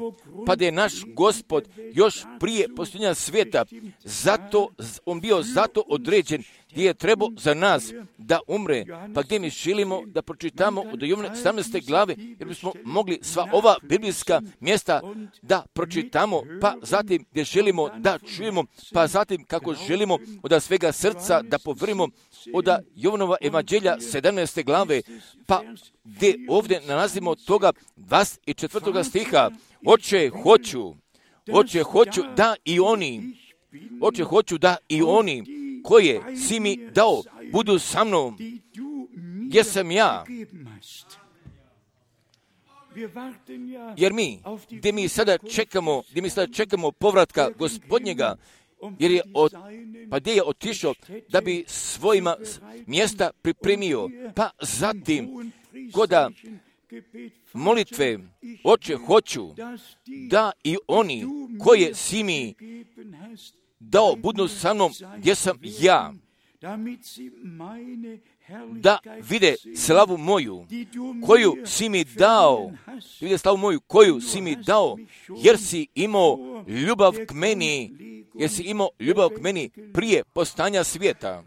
pa da je naš Gospod još prije postojanja svijeta, zato, on bio zato određen gdje je trebao za nas da umre, pa gdje mi želimo da pročitamo od Jovana sedamnaeste glave, jer bismo mogli sva ova biblijska mjesta da pročitamo, pa zatim gdje želimo da čujemo, pa zatim kako želimo od svega srca da povrimo od Jovanova evanđelja sedamnaeste glave, pa gdje ovdje nalazimo toga dvadeset četvrtog stiha. Oče, hoću, oče, hoću da i oni, oče, hoću da i oni koje si mi dao budu sa mnom, gdje sam ja. Jer mi, gdje mi sada čekamo, gdje mi sada čekamo povratka Gospodnjega, jer je od, pa gdje je otišao da bi svojima mjesta pripremio, pa zatim koda molitve, oče, hoću da i oni koje si mi dao budu sa mnom gdje sam ja, da vide slavu moju koju si mi dao, vide slavu moju koju si mi dao, jer si imao ljubav k meni, jer si imao ljubav k meni prije postanja svijeta.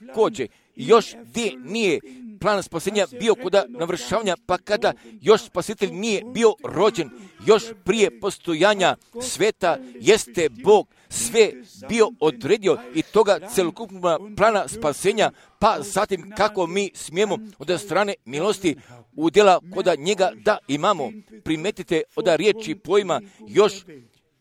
Također, još gdje nije plan spasenja bio kod navršavanja, pa kada još spasitelj nije bio rođen, još prije postojanja sveta, jeste Bog sve bio odredio i toga celokupnog plana spasenja, pa zatim kako mi smijemo od strane milosti udjela koda njega da imamo. Primetite od riječi pojma još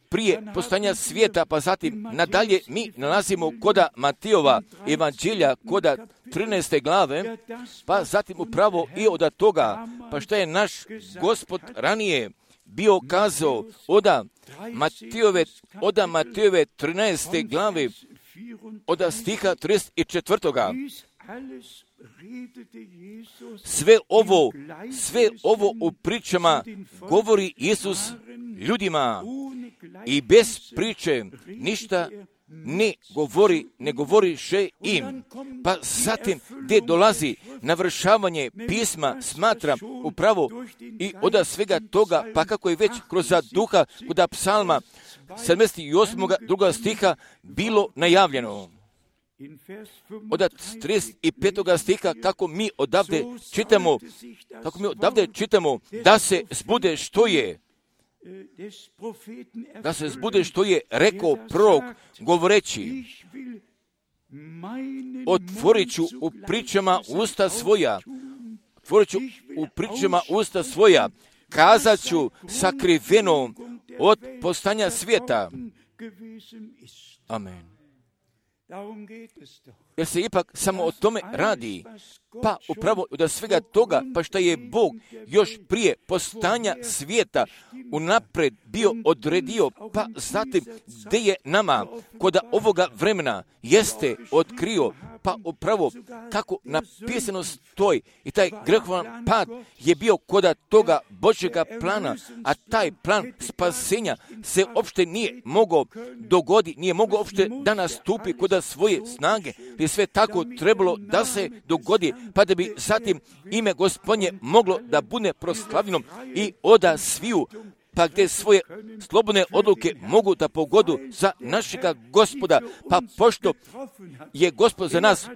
prije postanja svijeta, pa zatim nadalje mi nalazimo koda Matijova evanđelja, koda trinaeste glave, pa zatim upravo i od toga, pa što je naš Gospod ranije bio kazao oda Matijove, oda Matijove trinaeste glave, od stiha trideset četvrtoga. Sve ovo, sve ovo u pričama govori Isus ljudima i bez priče ništa ne govori, ne govoriše im. Pa zatim gdje dolazi navršavanje pisma, smatram upravo i od svega toga, pa kako je već kroz duha kod psalma sedamdeset osam drugog stiha bilo najavljeno. Od trideset petog stiha kako mi odavde čitamo, kako mi odavde čitamo da se zbude što je, da se zbude što je rekao prorok govoreći, otvorit ću u pričama usta svoja, otvorit ću u pričama usta svoja, kazat ću sakriveno od postanja svijeta. Amen. Jer se ipak samo o tome radi, pa upravo od svega toga, pa što je Bog još prije postanja svijeta unaprijed bio odredio, pa zatim gdje je nama kod ovoga vremena jeste otkrio, pa upravo kako napisano stoji i taj grehovan pad je bio kod toga Božjega plana, a taj plan spasenja se uopšte nije mogao dogoditi, nije mogao uopšte da nastupi kod svoje snage, je sve tako trebalo da se dogodi, pa da bi zatim ime Gospodnje moglo da bude proslavljeno i oda sviju, pa gdje svoje slobodne odluke mogu da pogodu za našega Gospoda, pa pošto je Gospod za nas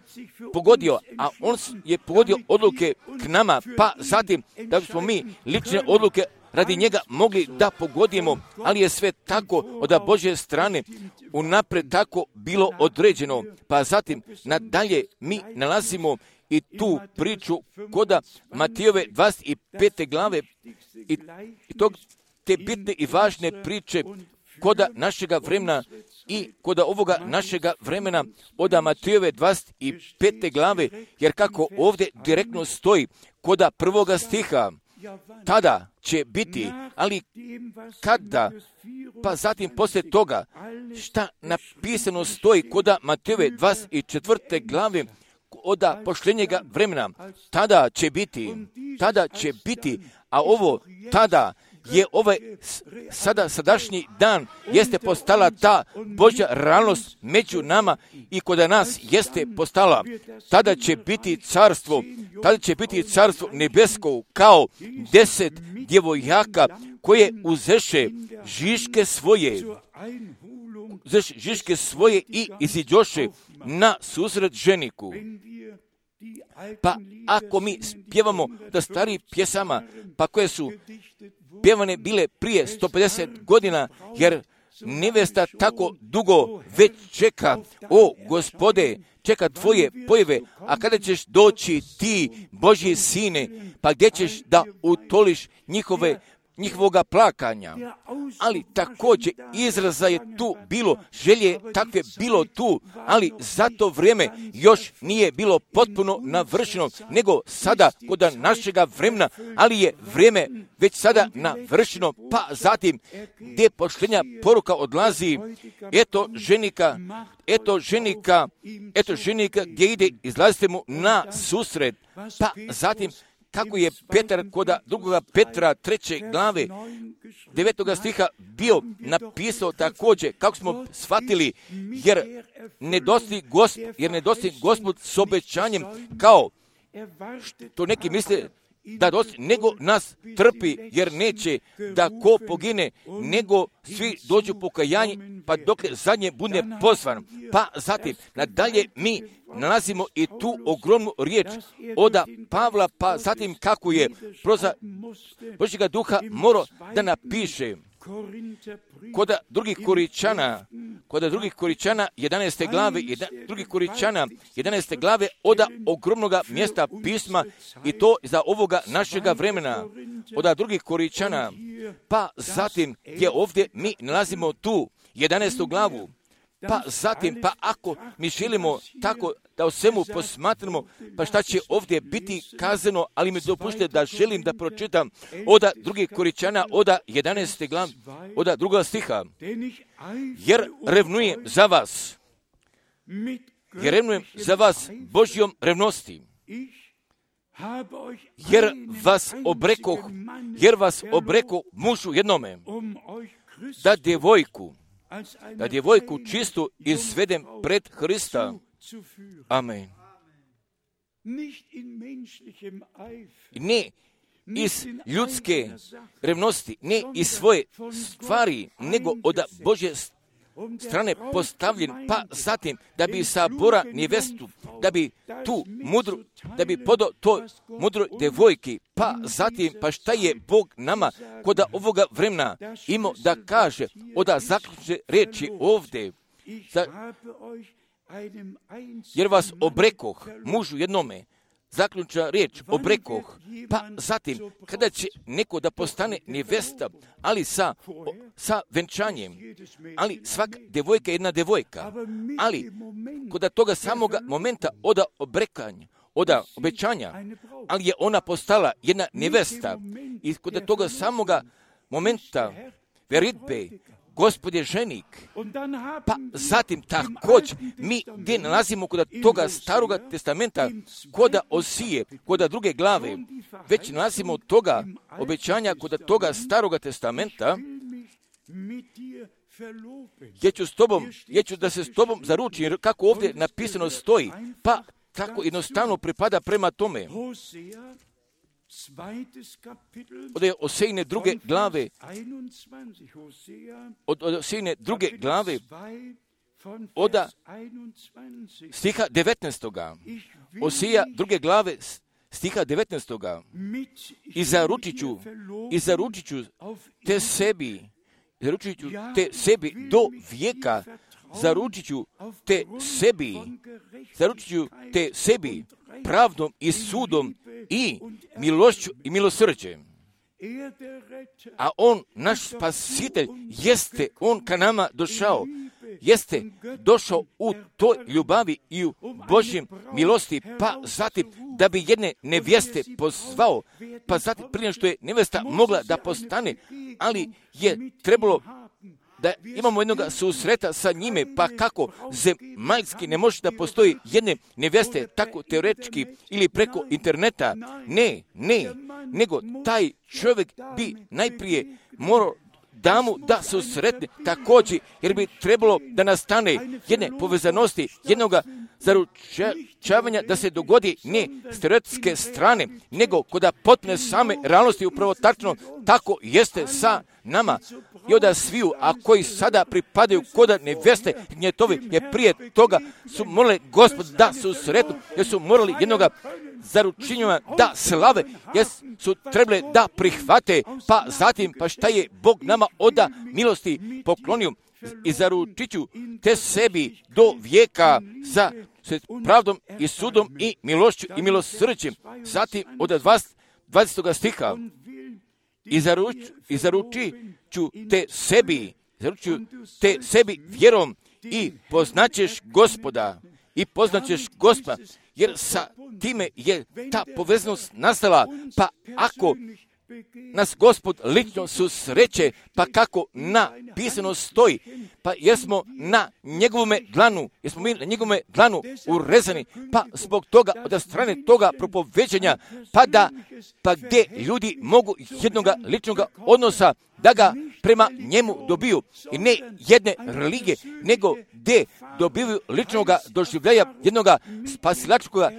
pogodio, a on je pogodio odluke k nama, pa zatim da smo mi lične odluke radi njega mogli da pogodimo, ali je sve tako od Božje strane unaprijed tako bilo određeno. Pa zatim nadalje mi nalazimo i tu priču koda Matijove dvadeset pete glave i, i tog, te bitne i važne priče koda našega vremena i koda ovoga našega vremena od Matejove dvadeset pete glave, jer kako ovdje direktno stoji koda prvoga stiha, tada će biti, ali kada, pa zatim poslije toga, šta napisano stoji koda Matejove dvadeset četvrte glave, od pošljenjega vremena, tada će biti, tada će biti, a ovo tada je ovaj sada sadašnji dan jeste postala ta Božja realnost među nama i kod nas jeste postala. Tada će biti carstvo, tada će biti carstvo nebesko kao deset djevojaka koje uzeše žiške svoje, uzeše žiške svoje i iziđoše na susret ženiku. Pa ako mi pjevamo da stari pjesama, pa koje su pjevane bile prije sto pedeset godina, jer nevesta tako dugo već čeka, o Gospode, čeka tvoje pojave, a kada ćeš doći ti, Božji sine, pa gdje ćeš da utoliš njihove njihovoga plakanja, ali također izraza je tu bilo, želje takve bilo tu, ali za to vrijeme još nije bilo potpuno navršeno, nego sada kod našega vremena, ali je vrijeme već sada navršeno, pa zatim gdje pošljenja poruka odlazi, eto ženika, eto ženika, eto ženika gdje ide, izlazite mu na susret, pa zatim kako je Petar koda drugoga Petra treće glave devetoga stiha bio napisao također, kako smo shvatili, jer ne dosti Gospod, jer ne dosti Gospod s obećanjem, kao što neki misle da dosti, nego nas trpi, jer neće da ko pogine, nego svi dođu pokajanje, pa dok zadnje bude pozvan. Pa zatim, nadalje mi nalazimo i tu ogromnu riječ od Pavla, pa zatim kako je proza Božjega duha morao da napiše koda drugih Koričana, koda drugih Koričana jedanaeste glave, jedan, drugih Koričana jedanaeste glave od ogromnoga mjesta pisma i to za ovoga našega vremena, od drugih Koričana, pa zatim gdje ovdje mi nalazimo tu jedanaestu glavu, pa zatim, pa ako mi želimo tako da o svemu posmatramo, pa šta će ovdje biti kazano, ali mi dopušte da želim da pročitam od drugih Koričana, od jedanaeste glave, od drugoga stiha. Jer revnujem za vas, jer revnujem za vas Božjom revnosti, jer vas obrekoh, jer vas obrekoh mužu jednome, da djevojku, da djevojku čistu izvedem pred Hrista. Amen. Ne iz ljudske revnosti, ne iz svoje stvari, nego od Božje strane postavljen, pa zatim da bi sabora nevestu, da bi tu mudru, da bi podo to mudroj devojki, pa zatim, pa šta je Bog nama kod ovoga vremena imao da kaže, od zaključne riječi ovdje, za, jer vas obrekoh mužu jednome, zaključna riječ, obrekoh, pa zatim, kada će neko da postane nevesta, ali sa, sa venčanjem, ali svaka devojka je jedna devojka, ali kod toga samoga momenta od obrekanja, od obećanja, ali je ona postala jedna nevesta i kod toga samoga momenta veritbe, Gospod je ženik, pa zatim također mi gdje nalazimo kod toga staroga testamenta, kod Osije, kod druge glave, već nalazimo toga obećanja kod toga staroga testamenta, ja ću s tobom, ja ću da se s tobom zaručim, jer kako ovdje napisano stoji, pa tako jednostavno pripada prema tome. Od Osejine druge glave, od, od Osejine druge glave, od stiha devetnaestoga. Osija druge glave, stiha devetnaestoga. I zaručit ću, i zaručit ću te sebi, zaručit ću te sebi do vijeka, zaručit ću te sebi, zaručit ću te sebi pravdom i sudom i milošću i milosrđem. A on, naš spasitelj, jeste on ka nama došao, jeste došao u toj ljubavi i u Božjem milosti, pa zatim da bi jedne nevjeste pozvao, pa zatim prije što je nevjesta mogla da postane, ali je trebalo da imamo jednog susreta sa njime, pa kako zemaljski ne može da postoji jedne nevjeste, tako teoretički ili preko interneta. Ne, ne, nego taj čovjek bi najprije morao damu da susretne također, jer bi trebalo da nastane jedne povezanosti, jednoga zaručavanja da se dogodi ne s teoretske strane, nego kod potpune same realnosti, upravo tačno tako jeste sa nama. I onda sviju, a koji sada pripadaju koda nevjeste gnjetovi, jer prije toga su morali Gospod da susretnu, jer su morali jednoga zaručenja da slave, jer su trebali da prihvate, pa zatim, pa šta je Bog nama oda milosti poklonio i zaručit ću te sebi do vijeka za pravdom i sudom i milošću i milosrđem. Zatim od dvadesetog stiha i, zaruč, i zaručit ću te sebi, zaručit te sebi vjerom i poznaćeš Gospoda i poznaćeš Gospoda, jer sa time je ta povezanost nastala, pa ako nas Gospod lično susreće, pa kako napisano stoji, pa jesmo na njegovome dlanu, jesmo mi na njegovome dlanu urezani, pa zbog toga, od strane toga propoveđenja, pa da, pa gdje ljudi mogu jednoga ličnoga odnosa da ga prema njemu dobiju, i ne jedne religije, nego gdje dobiju ličnoga doživljaja jednoga spasilačkoga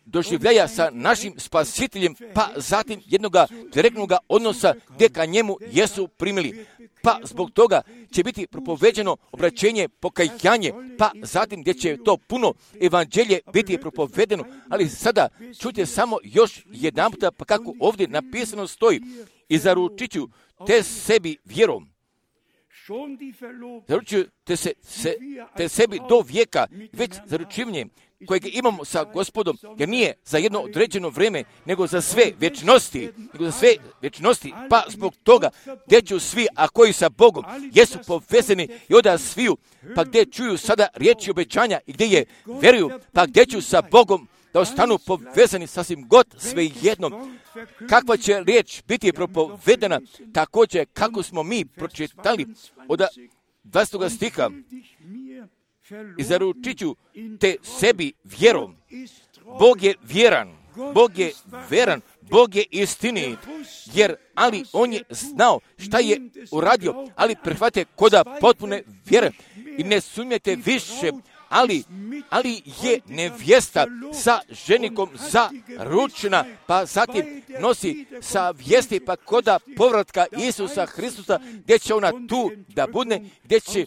doživljaja sa našim spasiteljem, pa zatim jednoga direktnog odnosa gdje ka njemu jesu primili. Pa zbog toga će biti propoveđeno obraćenje, pokajanje, pa zatim gdje će to puno evanđelje biti propovedeno. Ali sada čujte samo još jedan puta, pa kako ovdje napisano stoji, i zaručit ću te sebi vjerom. Zaručuju te, se, se, te sebi do vijeka, već zaručivanje kojeg imamo sa Gospodom, jer nije za jedno određeno vrijeme, nego za sve vječnosti, nego za sve vječnosti, pa zbog toga gdje ću svi, a koji sa Bogom jesu povezani i onda sviju, pa gdje čuju sada riječi obećanja i gdje je vjeruju, pa gdje ću sa Bogom da ostanu povezani sasvim god sve jednom. Kakva će riječ biti propovedena, također kako smo mi pročitali od dvadesetog stiha, i zaručit ću te sebi vjerom. Bog je vjeran, Bog je vjeran, Bog je istinit, jer ali on je znao šta je uradio, ali prihvate koda potpune vjere i ne sumnjate više, ali, ali je nevjesta sa ženikom zaručena, pa zatim nosi sa vijesti pa koda povratka Isusa Hristusa, gdje će ona tu da bude, gdje će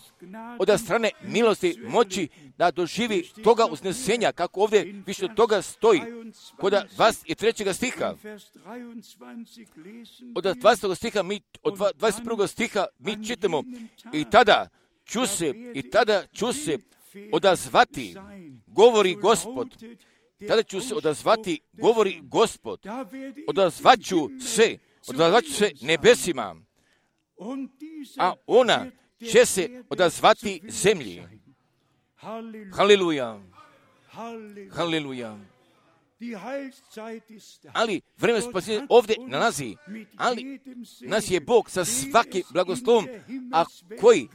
od strane milosti moći da doživi toga uznesenja, kako ovdje više toga stoji. Kod dvadeset trećeg stiha, od dvadesetog stiha, mi, od dvadeset prvog stiha mi čitamo, i tada ću se, i tada ću se odazvati, govori Gospod. Tada ću se odazvati, govori Gospod. Odazvaću se, odazvaću se nebesima, a ona će se odazvati zemlji. Haleluja, haleluja. Ali vrijeme spasenja ovdje nalazi, ali nas je Bog sa svakim blagoslovom, a koji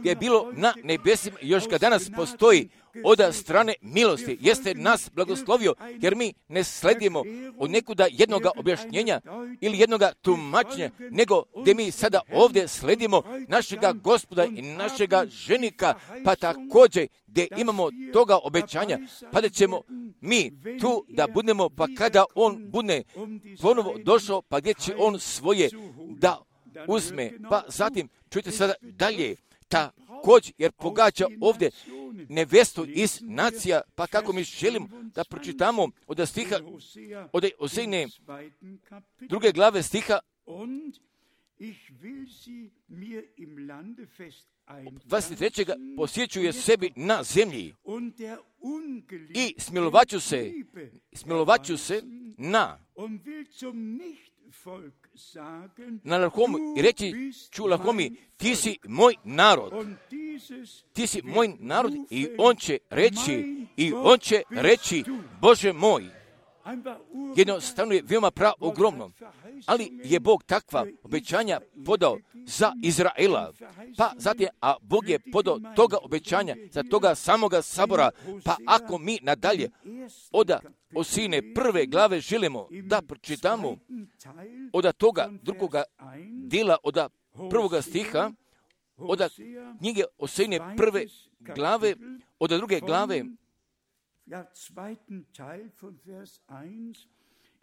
je bilo na nebesima, još ga danas postoji od strane milosti, jeste nas blagoslovio, jer mi ne sledimo od nekuda jednoga objašnjenja ili jednoga tumačenja, nego gdje mi sada ovdje sledimo našega Gospoda i našega ženika, pa također gdje imamo toga obećanja, pa da ćemo mi tu da budemo, pa kada on bude ponovo došao, pa gdje će on svoje da uzme, pa zatim čujte sada dalje, također, jer pogađa ovdje nevjestu iz nacija, pa kako mi želimo da pročitamo od stiha, od Ozejne druge glave stiha dvadeset trećeg posjećuje sebi na zemlji i smilovaću se, smilovaću se na na Lahomu i reći ću Lahomi, ti si moj narod. Ti si moj narod i on će reći, i on će reći, Bože moj. Jednostavno je veoma prav ogromno. Ali je Bog takva obećanja podao za Izraela. Pa zatim, a Bog je podao toga obećanja za toga samoga sabora. Pa ako mi nadalje oda Osijine prve glave želimo da pročitamo od toga drugoga dijela, od prvoga stiha, od knjige Osijine prve glave, od druge glave, ja, zweiten Teil von Vers eins,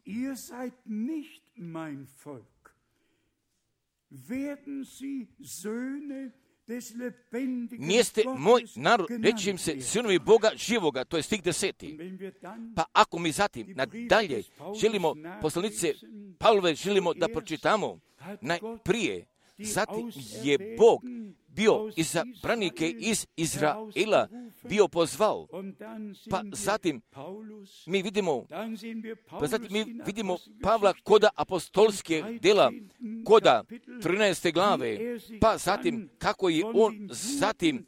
ihr seid nicht mein Volk. Werden sie Söhne des lebendigen nijeste moj narod, reći im se sinovi Boga živoga, to je stih deseti. Pa ako mi zatim nadalje želimo poslanice Pavlove želimo da pročitamo najprije, zatim je Bog bio izabranike iz Izraela, bio pozvao. Pa zatim mi vidimo, pa zatim mi vidimo Pavla koda apostolske dela, koda trinaeste glave, pa zatim kako je on zatim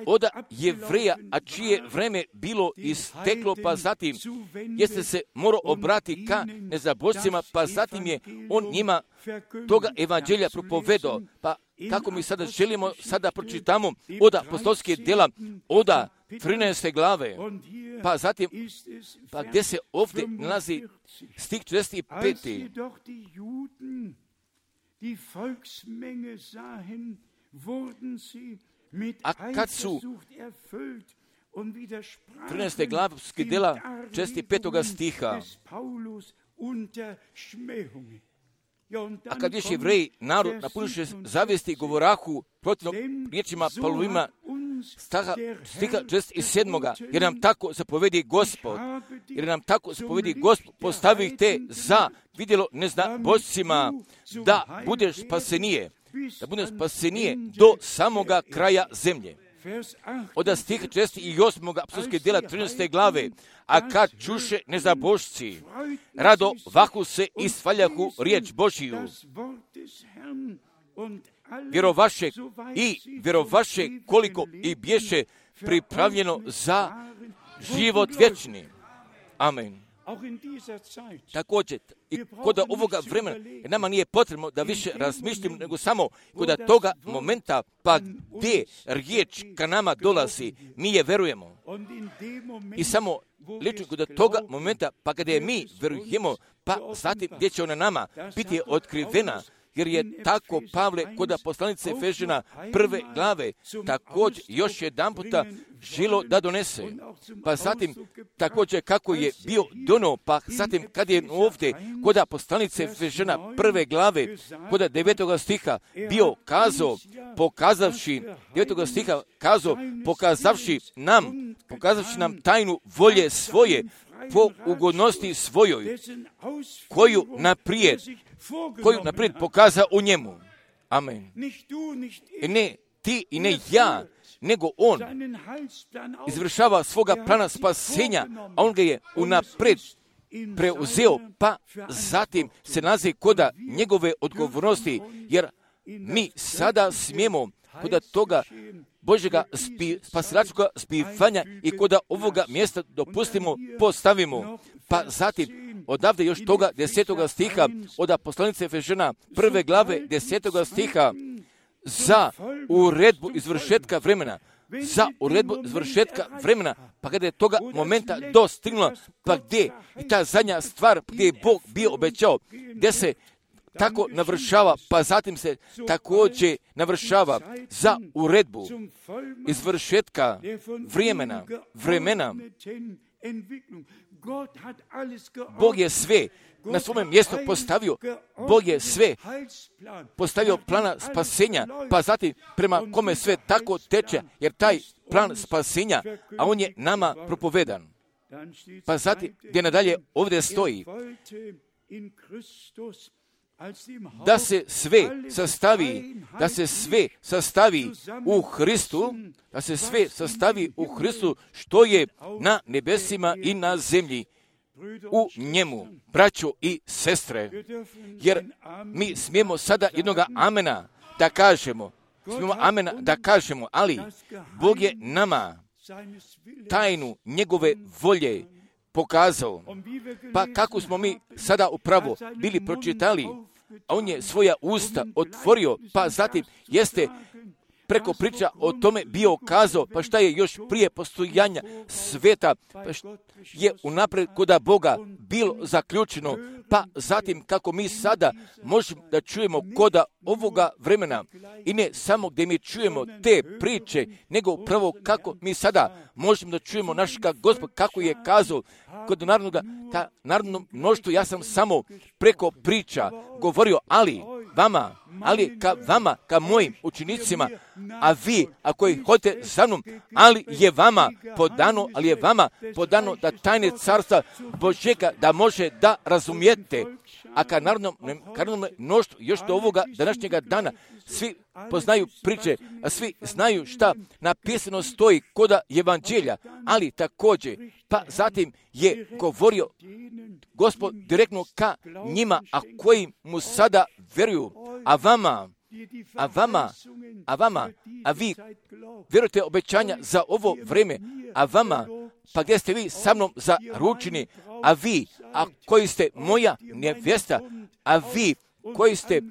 od Jevreja, a čije vreme bilo isteklo, pa zatim jeste se morao obrati ka nezabožcima, pa zatim je on njima toga evanđelja propovedao. Pa kako mi sada želimo sada pročitamo od apostolske dela, od trinaeste glave, pa zatim, pa gdje se ovdje nalazi stih četrdeset peti. A kad su trinaeste glavske dela četrdeset petog stiha, a kad još Jevreji narod napunuše zavijesti govorahu protivno riječima Pavlovima staha stiha četrdeset sedmog, jer nam tako zapovedi Gospod, jer nam tako zapovedi Gospod, postavi ih te za vidjelo neznabošcima, da budeš spasenije, da budeš spasenije do samoga kraja zemlje. Od stiha četrdeset osmog apostolske dela trinaeste glave, a kad čuše nezabošci, rado vahu se i svaljahu riječ Božiju, vjerovaše i vjerovaše koliko i bješe pripravljeno za život vječni. Amen. Također, i kod ovoga vremena nama nije potrebno da više razmišljamo, nego samo kod toga momenta, pa gdje riječ ka nama dolazi, mi je verujemo. I samo lično kod toga momenta, pa kada je mi verujemo, pa zatim gdje će ona nama biti otkrivena, jer je tako Pavle kod poslanice Efežana prve glave također još jedan puta želo da donese. Pa zatim također kako je bio dono, pa zatim kad je ovdje kod poslanice Efežana prve glave kod devetog stiha bio kazao, pokazavši, devetog stiha kazao, pokazavši nam, pokazavši nam tajnu volje svoje, po ugodnosti svojoj, koju naprijed, koju naprijed pokaza u njemu. Amen. I ne ti i ne ja, nego on izvršava svoga plana spasenja, a on ga je unaprijed preuzeo, pa zatim se nalazi koda njegove odgovornosti, jer mi sada smijemo koda toga Božjega spi, spasilačkoga spivanja i koda ovoga mjesta dopustimo, postavimo. Pa zatim, odavde još toga desetoga stiha, od poslanice Efežana prve glave desetoga stiha, za uredbu izvršetka vremena, za uredbu izvršetka vremena, pa kada je toga momenta dostignula, pa gdje je ta zadnja stvar gdje je Bog bio obećao, gdje se tako navršava, pa zatim se također navršava za uredbu izvršetka vremena, vremena. Bog je sve na svome mjestu postavio, Bog je sve postavio plana spasenja, pa zatim prema kome sve tako teče, jer taj plan spasenja, a on je nama propovedan. Pa zatim gdje nadalje ovdje stoji, da se sve sastavi, da se sve sastavi u Hristu, da se sve sastavi u Hristu što je na nebesima i na zemlji. u njemu, braćo i sestre, jer mi smijemo sada jednoga amena da kažemo, smijemo amena da kažemo, ali Bog je nama tajnu njegove volje pokazao. Pa kako smo mi sada upravo bili pročitali, a on je svoja usta otvorio, pa zatim jeste preko priča o tome bio kazao, pa šta je još prije postojanja sveta, pa šta je unaprijed koda Boga bilo zaključeno, pa zatim kako mi sada možemo da čujemo koda ovoga vremena i ne samo gdje mi čujemo te priče, nego upravo kako mi sada možemo da čujemo našega Gospoda, kako je kazao kod narodnoga, ta narodno mnoštvo, ja sam samo preko priča govorio, ali vama, ali ka vama, ka mojim učenicima, a vi, ako ih hodite za mnom, ali je vama podano, ali je vama podano da tajne carstva Božjega da može da razumijete. A ka narodnom, narodnom mnoštvu, još do ovoga današnjega dana, svi poznaju priče, a svi znaju šta napisano stoji koda evanđelja, ali također, pa zatim je govorio Gospod direktno ka njima, a koji mu sada vjeruju, a vama, a vama, a vama, a vi vjerujete obećanja za ovo vrijeme, a vama, pa gdje ste vi sa mnom zaručeni, a vi, a koji ste moja nevjesta, a vi koji ste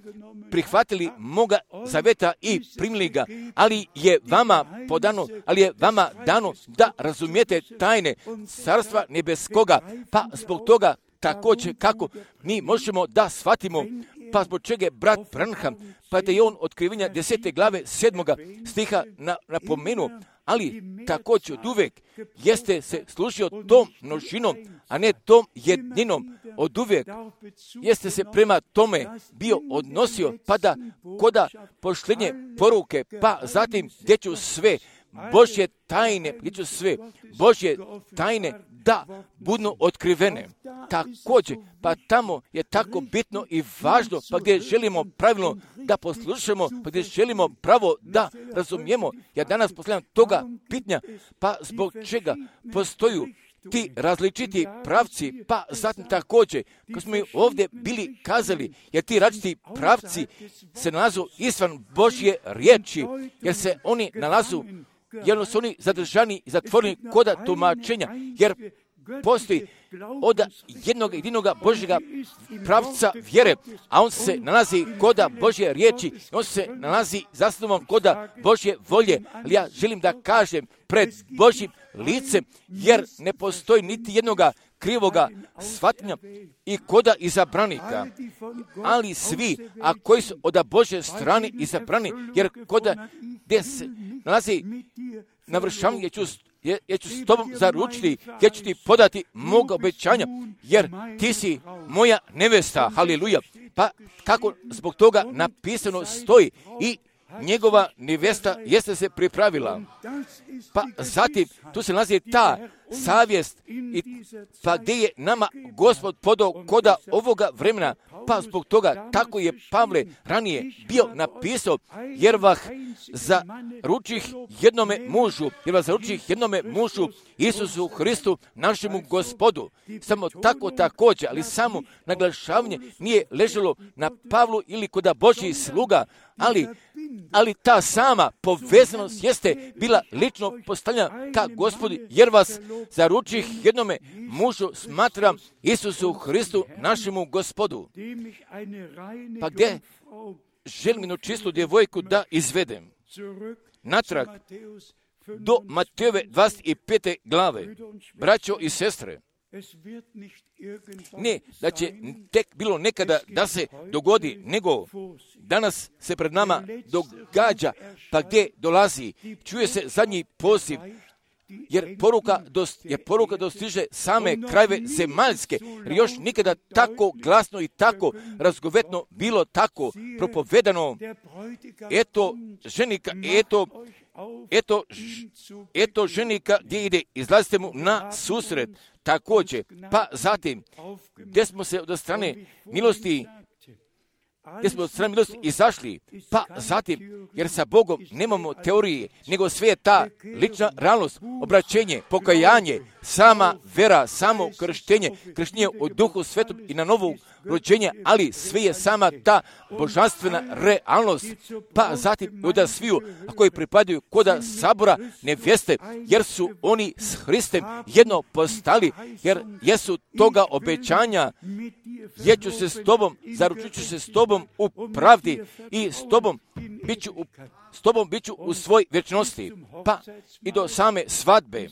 prihvatili moga zaveta i primili ga, ali je vama podano, ali je vama dano da razumijete tajne carstva nebeskoga, pa zbog toga također kako mi možemo da shvatimo, pa zbog čega je brat Branham, pa da je on otkrivenja desete glave sedmoga stiha na, napomenuo, ali također od uvijek jeste se služio tom množinom, a ne tom jedninom. Od uvijek jeste se prema tome bio odnosio, pa da koda pošljenje poruke, pa zatim gdje ću sve Božje tajne, gdje ću sve Božje tajne da budu otkrivene. Također, pa tamo je tako bitno i važno, pa gdje želimo pravilno da poslušamo, pa gdje želimo pravo da razumijemo. Ja danas postavljam toga pitanja, pa zbog čega postoju ti različiti pravci, pa zatim također, kad smo ovdje bili kazali, jer ti različiti pravci se nalazu izvan Božje riječi, jer se oni nalazu, jer su oni zadržani i zatvoreni koda tumačenja, jer postoji od jednog jedinoga Božjega pravca vjere, a on se nalazi koda Božje riječi, on se nalazi zasnovan koda Božje volje. Ali ja želim da kažem pred Božjim licem, jer ne postoji niti jednoga krivoga shvatnja i koda izabranika, ali svi, a koji su od Božje strane izabrani, jer koda gdje se nalazi navršavanje, ću Ja, ja ću s tobom zaručiti, ja ću ti podati moga obećanja, jer ti si moja nevesta, haleluja. Pa kako zbog toga napisano stoji i njegova nevesta jeste se pripravila. Pa zatim tu se nalazi ta savjest, i pa gdje je nama Gospod podao koda ovoga vremena, pa zbog toga tako je Pavle ranije bio napisao, jer vas zaručih jednome mužu, jer vas zaručih jednome mužu, Isusu Hristu, našemu Gospodu. Samo tako također, ali samo naglašavanje nije ležalo na Pavlu ili koda Božjih sluga, ali, ali ta sama povezanost jeste bila lično postavljena ka Gospodu, jer vas zaručih jednome mužu smatram Isusu Hristu, našemu Gospodu. Pa gdje želim jednu čistu djevojku da izvedem natrag do Matejove dvadeset pete glave, braćo i sestre. Ne da će tek bilo nekada da se dogodi, nego danas se pred nama događa, pa gdje dolazi, čuje se zadnji poziv, jer poruka, dost, jer poruka dostiže same krajeve zemaljske, jer još nikada tako glasno i tako razgovetno bilo tako propovedano. Eto ženika, eto, eto, eto ženika gdje ide, izlazite mu na susret. Također, pa zatim, gdje smo se od strane milosti, gdje smo od strane milosti izašli, pa zatim, jer sa Bogom nemamo teorije, nego sve je ta lična realnost, obraćenje, pokajanje, sama vera, samo krštenje, krštenje u Duhu Svetom i na novo rođenje, ali sve je sama ta božanstvena realnost. Pa zatim od sviju, a koji pripadaju koda sabora nevjeste, jer su oni s Hristem jedno postali, jer jesu toga obećanja, jer ću se s tobom, zaručit ću se s tobom u pravdi i s tobom bit ću u, s tobom bit ću u svoj vječnosti, pa i do same svadbe.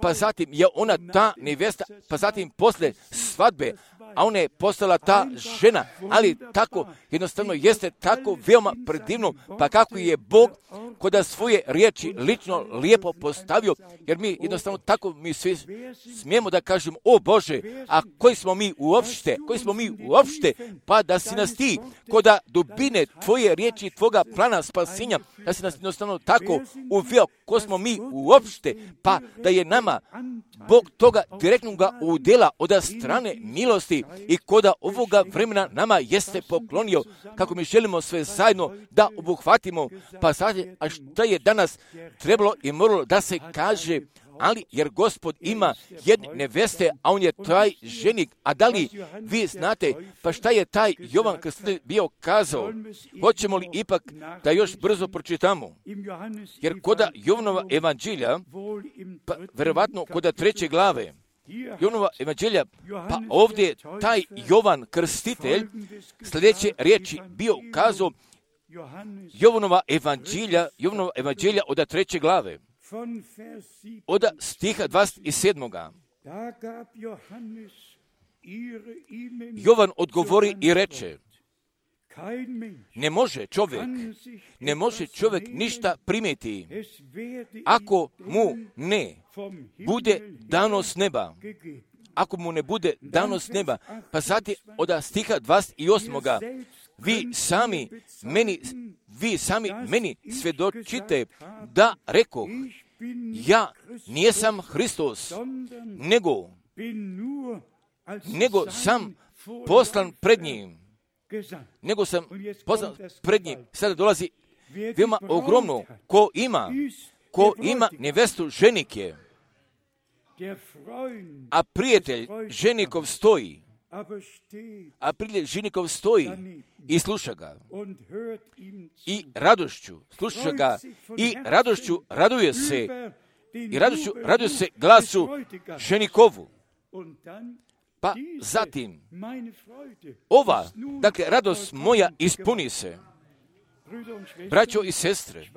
Pa zatim je ona ta nevjesta, pa zatim posle svadbe, a ona je postala ta žena, ali tako jednostavno jeste tako veoma predivno, pa kako je Bog koda svoje riječi lično lijepo postavio, jer mi jednostavno tako mi svi smijemo da kažemo, o Bože, a koji smo mi uopšte, koji smo mi uopšte, pa da si nas ti koda dubine tvoje riječi, tvoga plana spasenja, da si nas jednostavno tako uveo, ko smo mi uopšte, pa da je nama Bog toga direktnoga udjela od strane milosti i koda ovoga vremena nama jeste poklonio, kako mi želimo sve zajedno da obuhvatimo. Pa sad, a šta je danas trebalo i moralo da se kaže, ali jer Gospod ima jedne neveste, a on je taj ženik. A da li vi znate, pa šta je taj Jovan Krstitelj bio kazao? Hoćemo li ipak da još brzo pročitamo? Jer koda Jovanova evanđelja, pa verovatno koda treće glave, Jovanova evanđelja, pa ovdje taj Jovan Krstitelj sljedeće riječi bio kazao, Jovanova evanđelja, Jovanova evanđelja od treće glave, od stiha dvadeset sedam. Jovan odgovori i reče, ne može čovjek, ne može čovjek ništa primiti, ako mu ne bude dano s neba. Ako mu ne bude dano s neba. Pa zatim od stiha dvadeset osam. Vi sami meni, vi sami meni svjedočite da rekoh, ja nijesam Hristos, nego, nego sam poslan pred njim. Nego sam poslan pred njim. Sada dolazi veoma ogromno. Ko ima, ko ima nevestu ženike, a prijatelj ženikov stoji, a prijatelj ženikov stoji i sluša ga. I radošću sluša ga i radošću raduje se i radošću raduje se glasu ženikovu. Pa zatim, ova, dakle, radost moja ispuni se. Braćo i sestre,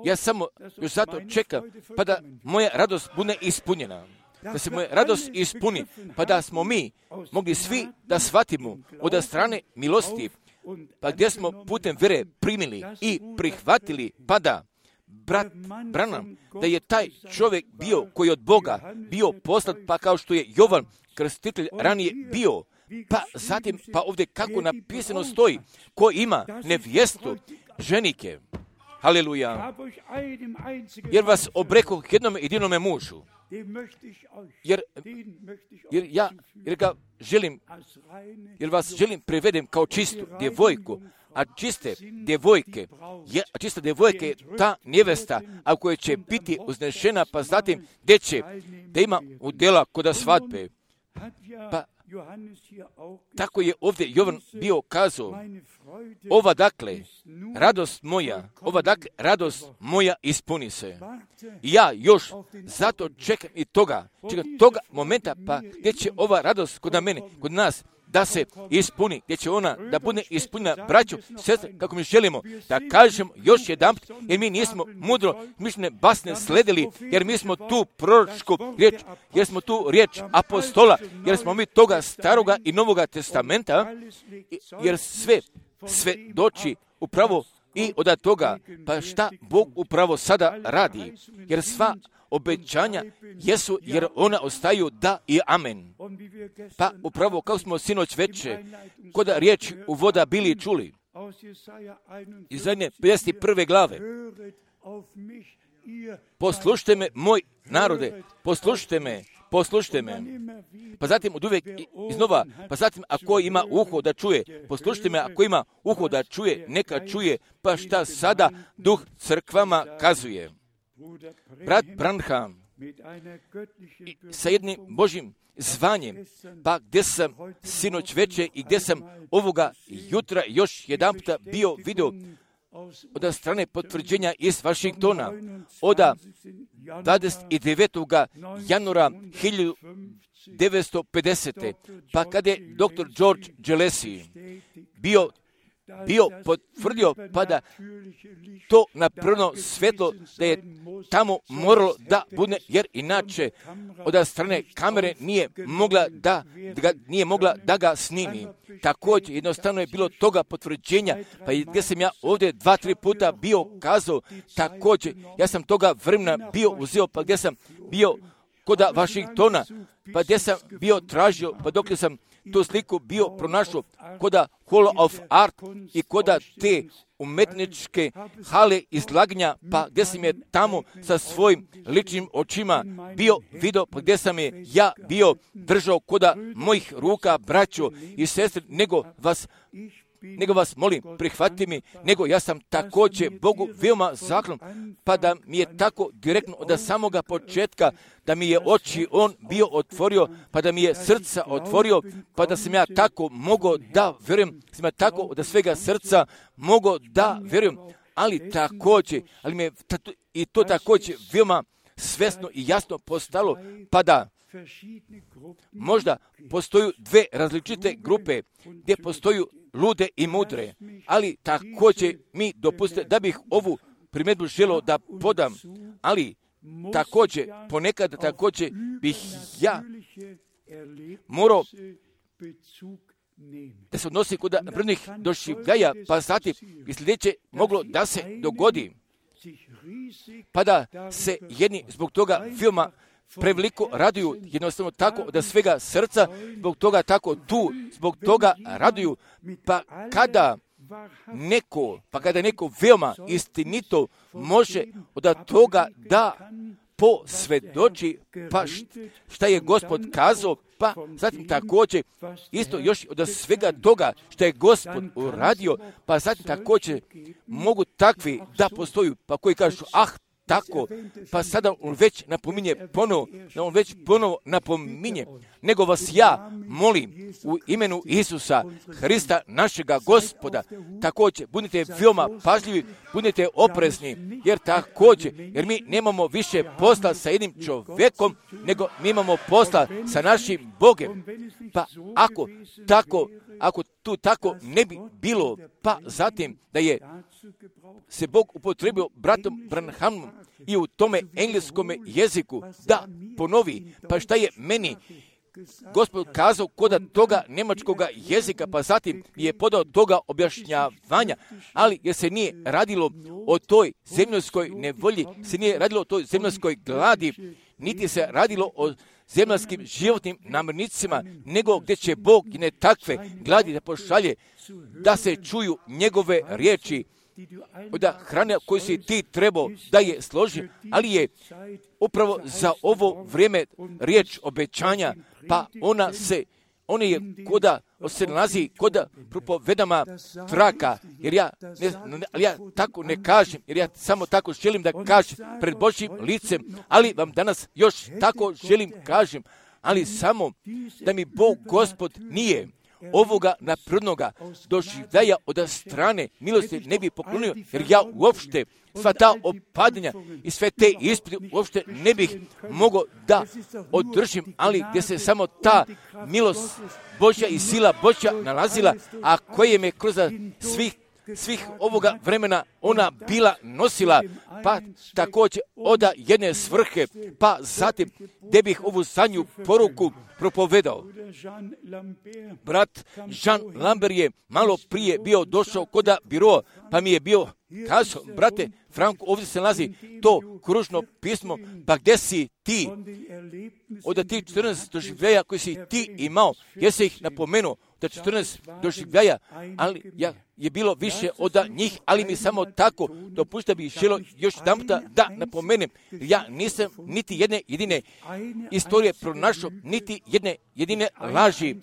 ja samo još zato čekam, pa da moja radost bude ispunjena. Da se moja radost ispuni, pa da smo mi mogli svi da shvatimo od strane milosti, pa gdje smo putem vere primili i prihvatili, pa da brat Branham, da je taj čovjek bio koji od Boga bio poslat, pa kao što je Jovan Krstitelj ranije bio, pa zatim, pa ovdje kako napisano stoji, ko ima nevjestu ženike, haleluja, jer vas obrekoh jednome jedinome mužu, jer, jer ja jer ga želim, jer vas želim prevedem kao čistu djevojku, a čiste djevojke, je, a čista djevojka je ta nevesta, a koja će biti uznešena, pa zatim gdje će, da ima udjela koda svadbe. Pa tako je ovdje Jovan bio kazao, ova dakle, radost moja, ova dakle, radost moja ispuni se. I ja još zato čekam i toga, čekam toga momenta, pa gdje će ova radost kod mene, kod nas, da se ispuni, gdje će ona da bude ispunjena, braćo, sestre, kako mi želimo da kažemo još jedanput, jer mi nismo mudro mišljene basne sledili, jer mi smo tu proročku riječ, jer smo tu riječ apostola, jer smo mi toga staroga i novoga testamenta, jer sve, sve doći upravo i od toga, pa šta Bog upravo sada radi, jer sva obećanja jesu, jer ona ostaju da i amen. Pa upravo kao smo sinoć veče, kod riječi u voda bili čuli, iz zadnje pedeset prve glave, poslušajte me, moj narode, poslušajte me, poslušajte me. Pa zatim od uvijek iznova, pa zatim ako ima uho da čuje, poslušajte me, ako ima uho da čuje, neka čuje, pa šta sada duh crkvama kazuje. Brat Branham sa jednim Božjim zvanjem, pa gdje sam sinoć veče i gdje sam ovoga jutra još jedan puta bio vidio od strane potvrđenja iz Washingtona, od dvadeset devetog januara hiljadu devetsto pedesete. Pa kada je doktor George Gillespie bio bio potvrdio, pa da to napravno svetlo da je tamo moralo da bude, jer inače od strane kamere nije mogla da, da nije mogla da ga snimi. Također jednostavno je bilo toga potvrđenja, pa gdje sam ja ovdje dva, tri puta bio kazao, također ja sam toga vremena bio uzeo, pa gdje sam bio kod Washingtona, pa gdje sam bio tražio, pa dok sam tu sliku bio pronašao koda Hall of Art i koda te umetničke hale izlaganja, pa gdje sam je tamo sa svojim ličnim očima bio vidio, pa gdje sam je ja bio držao koda mojih ruka, braćo i sestre, nego vas nego vas molim, prihvati mi, nego ja sam također Bogu veoma zahvalan, pa da mi je tako direktno od samoga početka, da mi je oči on bio otvorio, pa da mi je srca otvorio, pa da sam ja tako mogao da vjerujem, sam ja tako od svega srca mogao da vjerujem, ali također, ali mi je i to također veoma svesno i jasno postalo, pa da možda postoju dve različite grupe gdje postoju lude i mudre, ali također mi dopustite da bih ovu primjedbu želio da podam, ali također ponekad također bih ja morao da se odnosi kod napravljenih doživljaja, pa zatim i sljedeće moglo da se dogodi, pa da se jedni zbog toga veoma preveliko raduju, jednostavno tako da svega srca, zbog toga tako tu, zbog toga raduju, pa kada neko, pa kada neko veoma istinito može od toga da posvjedoči, pa šta je Gospod kazao, pa zatim također isto još od svega toga što je Gospod uradio, pa zatim također mogu takvi da postoju, pa koji kažu, ah, tako, pa sada on već napominje ponovo, on već ponovo napominje, nego vas ja molim u imenu Isusa Hrista, našega Gospoda, također budite veoma pažljivi, budite oprezni, jer također, jer mi nemamo više posla sa jednim čovjekom, nego mi imamo posla sa našim Bogem. Pa ako tako, ako tu tako ne bi bilo, pa zatim da je se Bog upotrebio bratom Branhamom i u tome engleskome jeziku da ponovi, pa šta je meni Gospod kazao kod toga njemačkoga jezika, pa zatim je podao toga objašnjavanja, ali jer se nije radilo o toj zemljskoj nevolji, se nije radilo o toj zemljskoj gladi, niti se radilo o zemljanskim životnim namirnicima, nego gdje će Bog i ne takve gladi da pošalje, da se čuju njegove riječi, od hrane koju si ti trebao da je složi, ali je upravo za ovo vrijeme riječ obećanja, pa ona se, ona je koda, se nalazi koda propovedama traka, jer ja, ne, ali ja tako ne kažem, jer ja samo tako želim da kažem pred Božjim licem, ali vam danas još tako želim kažem, ali samo da mi Bog Gospod nije ovoga naprednoga doživljaja od strane milosti ne bi poklonio, jer ja uopšte sva ta opadanja i sve te ispite uopšte ne bih mogao da održim, ali gdje se samo ta milost Božja i sila Božja nalazila, a koje me kroz svih svih ovoga vremena ona bila nosila, pa također od jedne svrhe, pa zatim gdje bih ovu zadnju poruku propovedao. Brat Jean Lambert je malo prije bio došao kod biroa, pa mi je bio kazao, brate Franko, ovdje se nalazi to kružno pismo, pa gdje si ti? Od tih četrnaest doživljaja koji si ti imao, jesi ih napomenuo, da četrnaest doživljaja, ali ja, je bilo više od njih, ali mi samo tako dopušta bih želio još jedan puta da napomenem, ja nisam niti jedne jedine istorije pronašao, niti jedne jedine laži,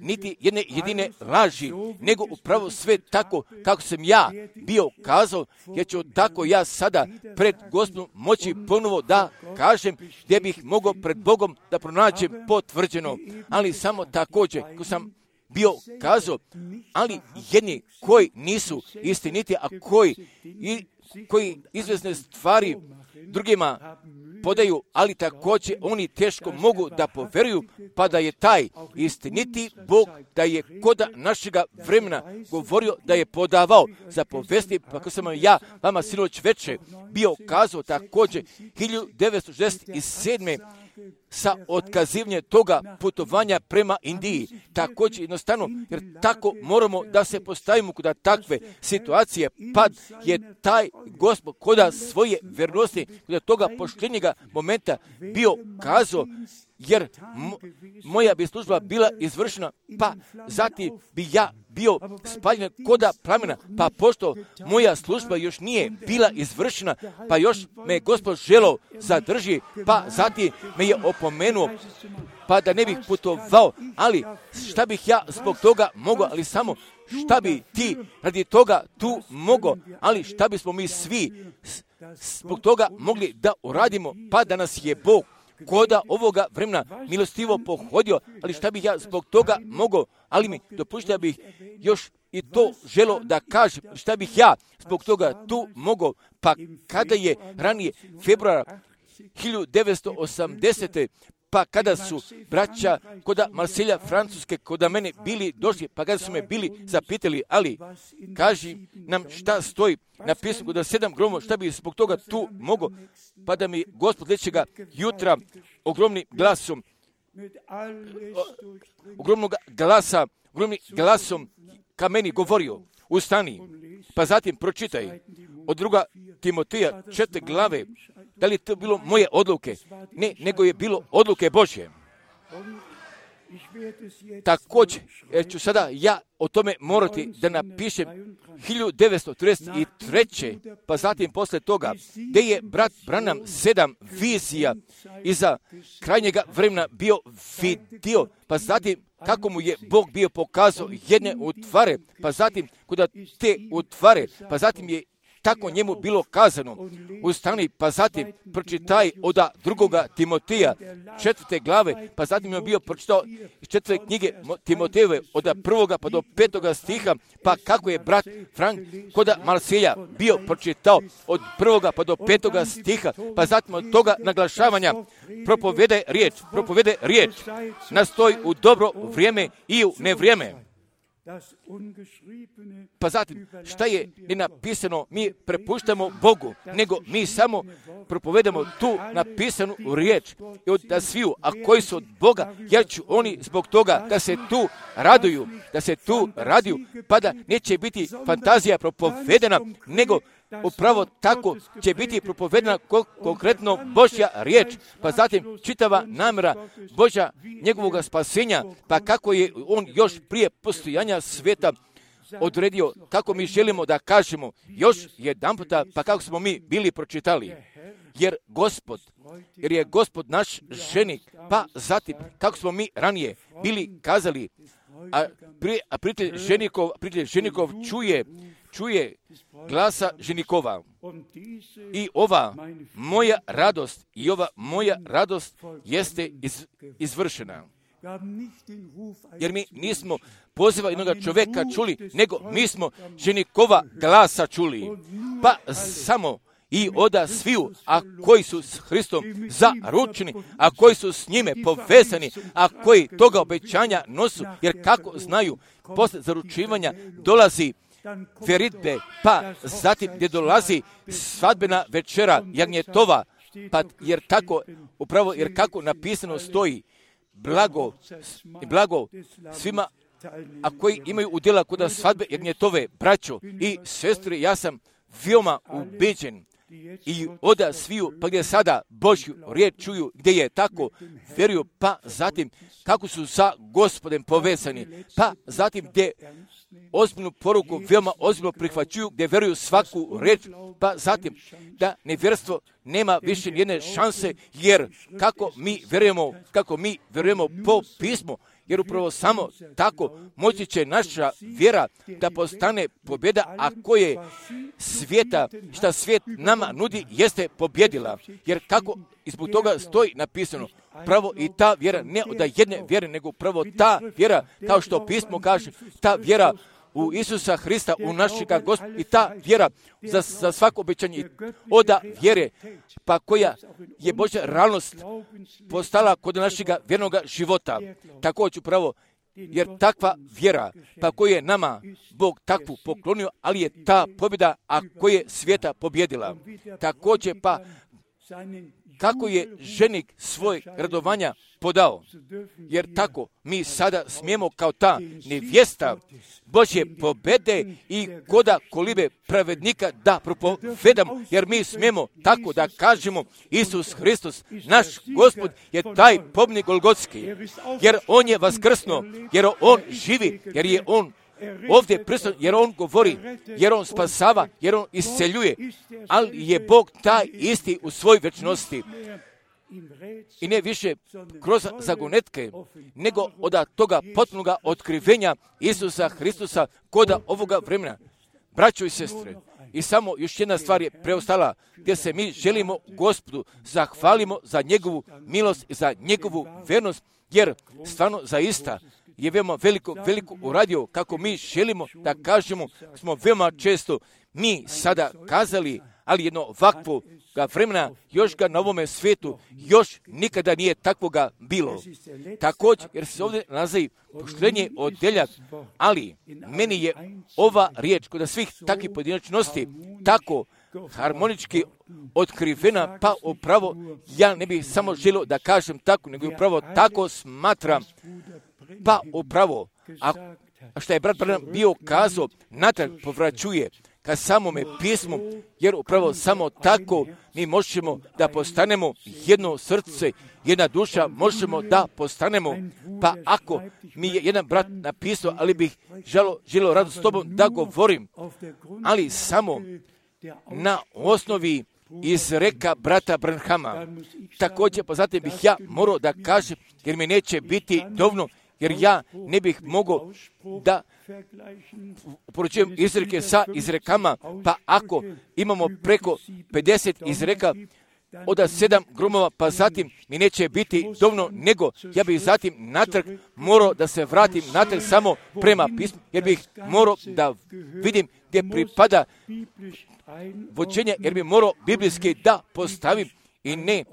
niti jedne jedine laži, nego upravo sve tako kako sam ja bio kazao, kazao, jer ću tako ja sada pred Gospodom moći ponovo da kažem gdje bih mogao pred Bogom da pronađem potvrđeno. Ali samo također, ko sam bio kazao, ali jedni koji nisu istiniti, a koji, i, koji izvjesne stvari drugima podaju, ali također oni teško mogu da poveruju, pa da je taj istiniti Bog, da je kod našega vremena govorio da je podavao za povesti, pa kako sam ja vama sinoć večer bio kazao također hiljadu devetsto šezdeset sedme sa otkazivanjem toga putovanja prema Indiji. Također jednostavno, jer tako moramo da se postavimo kod takve situacije, pa je taj Gospod kod svoje vjernosti, kod toga poštenjega momenta bio kazao, jer mo, moja bi služba bila izvršena, pa zatim bi ja bio spaljen koda plamena, pa pošto moja služba još nije bila izvršena, pa još me Gospod želeo zadrži, pa zatim me je opomenuo, pa da ne bih putovao, ali šta bih ja zbog toga mogao, ali samo šta bi ti radi toga tu mogao, ali šta bismo mi svi zbog toga mogli da uradimo, pa da nas je Bog koda ovoga vremena milostivo pohodio, ali šta bih ja zbog toga mogao, ali mi dopušta da bih još i to želo da kažem, šta bih ja zbog toga tu mogao, pa kada je ranije februara hiljadu devetsto osamdesete pa kada su braća koda Marselja Francuske koda mene bili došli, pa kada su me bili zapitali, ali kaži nam šta stoji napisano koda sedam gromova, šta bi zbog toga tu mogao, pa da mi Gospod sljedećega jutra ogromnim glasom, o, ogromnog glasa, ogromnim glasom ka meni govorio, ustani, pa zatim pročitaj od druga Timoteja četiri glave. Da li je to bilo moje odluke? Ne, nego je bilo odluke Božje. Također, jer ću sada ja o tome morati da napišem hiljadu devetsto trideset treće pa zatim posle toga, gdje je brat Branham sedam vizija iza krajnjega vremena bio vidio, pa zatim kako mu je Bog bio pokazao jedne utvare, pa zatim kuda te utvare, pa zatim je tako njemu bilo kazano, ustani, pa zatim pročitaj od drugoga Timoteja četvrte glave, pa zatim je bio pročitao iz četvrte knjige Timotejeve od prvoga pa do petoga stiha, pa kako je brat Frank kod Marselja bio pročitao od prvoga pa do petoga stiha, pa zatim od toga naglašavanja propovede riječ, propovede riječ, nastoji u dobro vrijeme i u nevrijeme. Pa zatim, šta je nenapisano, mi prepuštamo Bogu, nego mi samo propovedamo tu napisanu riječ i od da sviju, a koji su od Boga, jer ću oni zbog toga da se tu raduju, da se tu raduju, pa da neće biti fantazija propovedena, nego upravo tako će biti propovedena konkretno Božja riječ, pa zatim čitava namjera Božja njegovog spasenja, pa kako je on još prije postojanja svijeta odredio, kako mi želimo da kažemo još jedan puta, pa kako smo mi bili pročitali. Jer Gospod, jer je Gospod naš ženik, pa zatim kako smo mi ranije bili kazali, a, pri, a prijatelj ženikov, prijatelj ženikov čuje, čuje glasa ženikova. I ova moja radost, i ova moja radost jeste iz, izvršena. Jer mi nismo poziva jednog čovjeka čuli, nego mi smo ženikova glasa čuli. Pa samo i oda sviju, a koji su s Hristom zaručeni, a koji su s njime povezani, a koji toga obećanja nosu, jer kako znaju, posle zaručivanja dolazi veritbe, pa zatim gdje dolazi svadbena večera jagnjetova, pa jer tako, upravo jer kako napisano stoji, blago, blago svima, a koji imaju udjela kod svadbe jagnjetove, braćo i sestre, ja sam veoma ubeđen i oda sviju, pa gdje sada Božju riječ čuju, gdje je tako vjeruju, pa zatim kako su sa Gospodem povezani, pa zatim gdje ozbiljnu poruku veoma ozbiljno prihvaćuju, gdje vjeruju svaku riječ, pa zatim da nevjerstvo nema više jedne šanse, jer kako mi vjerujemo, kako mi vjerujemo po pismu, jer upravo samo tako moći će naša vjera da postane pobjeda, a koje svijeta, šta svijet nama nudi, jeste pobjedila. Jer kako i zbog toga stoji napisano, pravo i ta vjera, ne od jedne vjere, nego pravo ta vjera, kao što pismo kaže, ta vjera u Isusa Hrista, u našega Gospoda, i ta vjera za, za svako obećanje oda vjere, pa koja je Božja realnost postala kod našega vjernoga života. Također pravo, jer takva vjera, pa koju je nama Bog takvu poklonio, ali je ta pobjeda, a koja je svijeta pobjedila. Također pa, kako je ženik svoj radovanja podao, jer tako mi sada smijemo kao ta nevjesta Božje pobjede i koda kolibe pravednika da propovedamo, jer mi smijemo tako da kažemo, Isus Hristos, naš Gospod, je taj pobjednik Golgotski, jer on je vaskrsno, jer on živi, jer je on ovdje prisutan, jer on govori, jer on spasava, jer on isceljuje, ali je Bog taj isti u svojoj vječnosti. I ne više kroz zagonetke, nego od toga potpunoga otkrivenja Isusa Hristusa koda ovoga vremena. Braćo i sestre, i samo još jedna stvar je preostala, gdje se mi želimo Gospodu zahvalimo za njegovu milost i za njegovu vernost, jer stvarno zaista je veoma veliko, veliko uradio, kako mi želimo da kažemo, smo veoma često mi sada kazali, ali jedno ovakvo vremena, još ga na ovome svijetu, još nikada nije takvoga bilo. Također, jer se ovdje nalazi poštenje odeljak, ali meni je ova riječ kod svih takvih pojedinačnosti tako harmonički otkrivena, pa upravo ja ne bih samo želio da kažem tako, nego upravo tako smatram, pa upravo, a, a što je brat Branham bio kazao, natrag povraćuje ka samome pismu, jer upravo samo tako mi možemo da postanemo jedno srce, jedna duša, možemo da postanemo, pa ako mi je jedan brat napisao, ali bih želo, želio rado s tobom da govorim, ali samo na osnovi izreka brata Branhama. Također, pa zatim bih ja morao da kažem, jer mi neće biti dovoljno, jer ja ne bih mogao da upoređujem izreke sa izrekama, pa ako imamo preko pedeset izreka, od sedam grumova, pa zatim mi neće biti dovoljno, nego ja bih zatim natrag morao da se vratim natrag samo prema pismu, jer bih morao da vidim gdje pripada vođenje, jer bih morao biblijski da postavim i ne,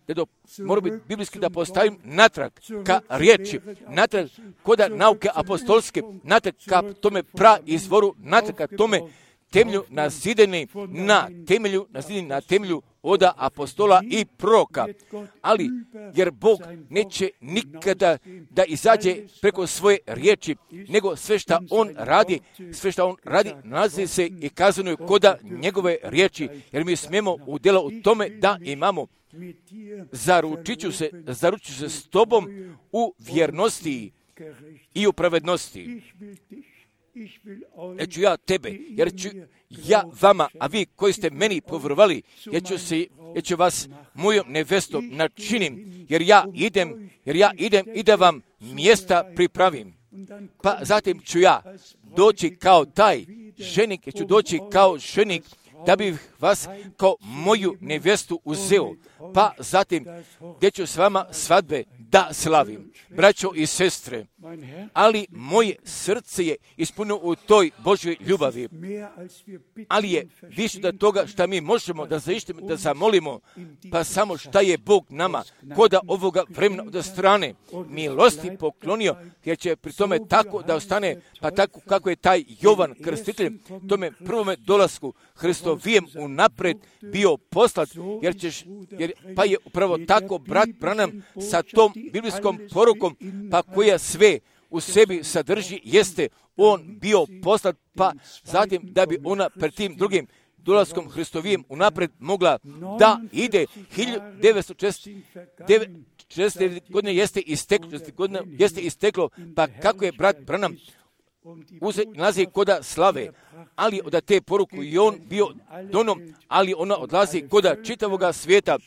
da do, mora biti biblijski da postavim natrag ka riječi, natrag koda nauke apostolske, natrag ka tome pra izvoru, natrag ka tome temelju nazideni na temelju, nazideni na temelju oda apostola i proroka. Ali, jer Bog neće nikada da izađe preko svoje riječi, nego sve što On radi, sve što On radi, nalazi se i kazano je koda njegove riječi, jer mi smijemo udjela u tome da imamo zaručiću se, zaručiću se s tobom u vjernosti i u pravednosti. Jer ću ja tebe, jer ću ja vama, a vi koji ste meni povjerovali, jer ću, se, jer ću vas mojom nevestom načinim, jer ja idem, jer ja idem i da vam mjesta pripravim. Pa zatim ću ja doći kao taj ženik, jer ću doći kao ženik, da bih vas kao moju nevjestu uzeo, pa zatim gdje ću s vama svadbe da slavim. Braćo i sestre, ali moje srce je ispunjeno u toj Božjoj ljubavi, ali je više od toga što mi možemo da zaištimo, da zamolimo, pa samo šta je Bog nama koda ovoga vremena od strane milosti poklonio, jer će pri tome tako da ostane, pa tako kako je taj Jovan Krstitelj tome prvome dolasku Hristovijem unapred bio poslat, jer ćeš, jer, pa je upravo tako brat Branham sa tom biblijskom porukom, pa koja sve u sebi sadrži, jeste on bio poslat, pa zatim da bi ona pred tim drugim dolaskom Hristovijem unapred mogla da ide. hiljadu devetsto četrdeset godine jeste isteklo, godine jeste isteklo, pa kako je brat Branham uze nalazi koda slave, ali od te poruku i on bio donom, ali ona odlazi koda čitavoga svijeta,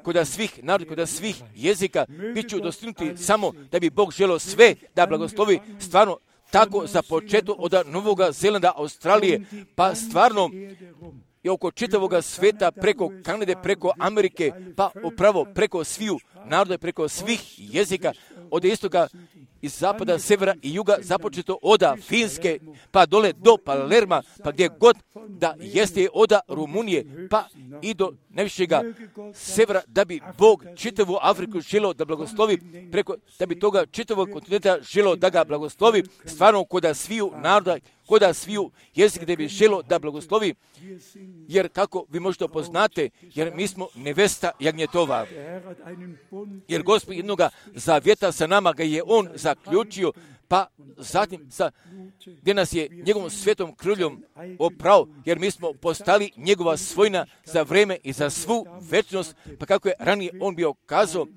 kod svih naroda, kod svih jezika, bit ću dostignuti samo da bi Bog želio sve da blagoslovi stvarno tako za početak od Novog Zelanda, Australije, pa stvarno i oko čitavog sveta, preko Kanade, preko Amerike, pa upravo preko sviju naroda, preko svih jezika, od istoka iz zapada, severa i juga, započeto od Finske, pa dole do Palerma, pa gdje god da jeste od Rumunije, pa i do najvišega severa, da bi Bog čitavu Afriku želio da blagoslovi, preko, da bi toga čitavog kontinenta želio da ga blagoslovi, stvarno kod sviju naroda, kod sviju jezika da bi želio da blagoslovi, jer kako vi možete poznate, jer mi smo nevesta jagnjetova. Jer Gospod jednoga zavjeta sa nama ga je On zaključio, pa zatim sa, gdje nas je njegovom svetom krvljom oprao, jer mi smo postali njegova svojina za vreme i za svu večnost, pa kako je ranije On bio kazao,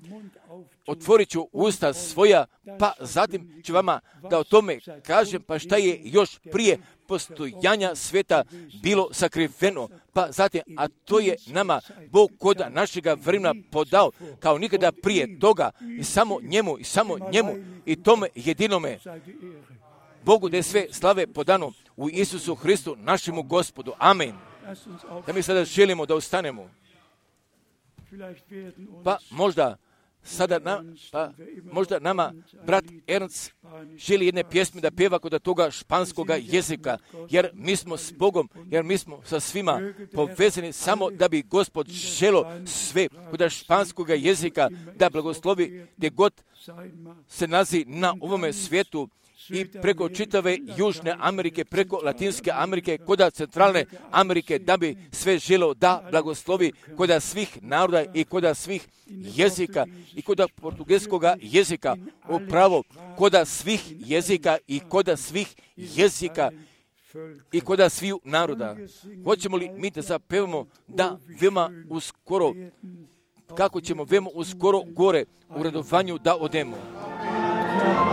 otvorit ću usta svoja, pa zatim ću vama da o tome kažem, pa šta je još prije postojanja sveta bilo sakriveno, pa zatim, a to je nama Bog kod našega vremena podao kao nikada prije toga i samo njemu i samo njemu i tome jedinome Bogu da je sve slave podano u Isusu Hristu našemu Gospodu. Amen. Da mi sada želimo da ustanemo. Pa možda sada na, pa možda nama brat Ernst želi jedne pjesme da pjeva kod toga španskoga jezika, jer mi smo s Bogom, jer mi smo sa svima povezani samo da bi Gospod želo sve kod španskoga jezika da blagoslovi gdje god se nalazi na ovome svijetu i preko čitave Južne Amerike, preko Latinske Amerike, kod Centralne Amerike, da bi sve želo da blagoslovi kod svih naroda i kod svih jezika i kod portugalskog jezika, upravo kod svih jezika i kod svih jezika i kod sviju naroda. Hoćemo li mi da zapevamo da veoma uskoro, kako ćemo veoma uskoro gore u radovanju da odemo. Hermano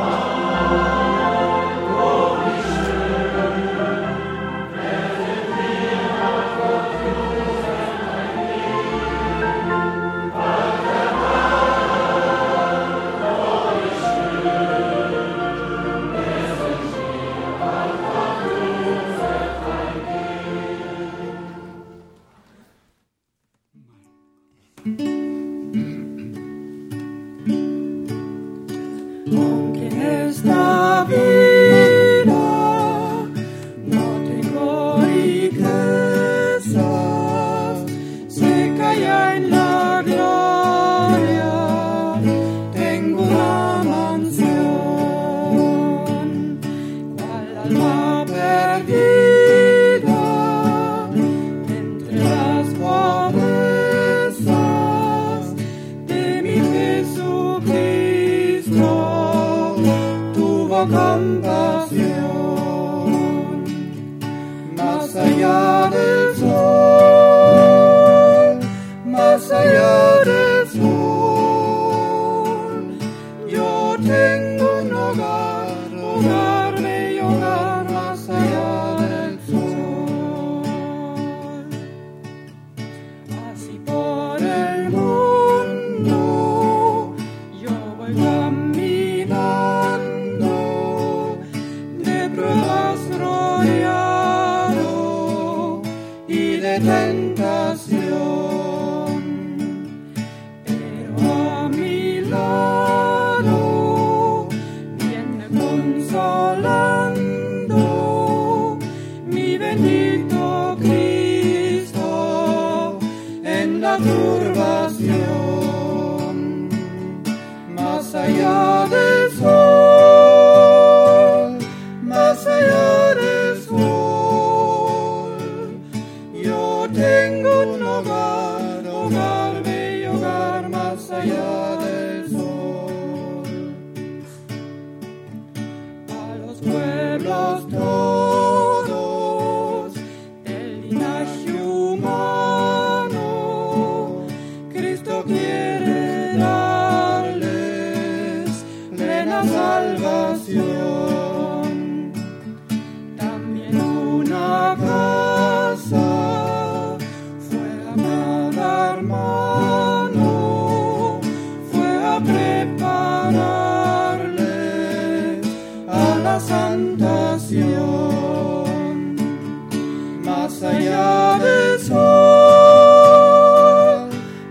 allá del sol,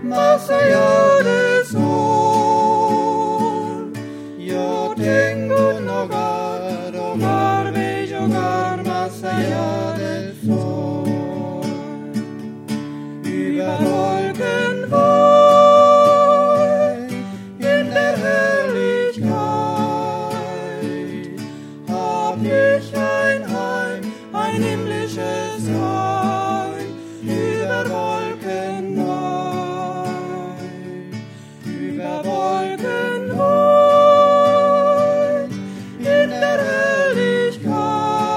más allá del sol. Yo tengo un hogar, hogar, bello hogar, más allá del sol. Über Wolken weit, in der Herrlichkeit, hab ich ein Heim, ein himmlisches Heim, über Wolken weit, über Wolken weit, in der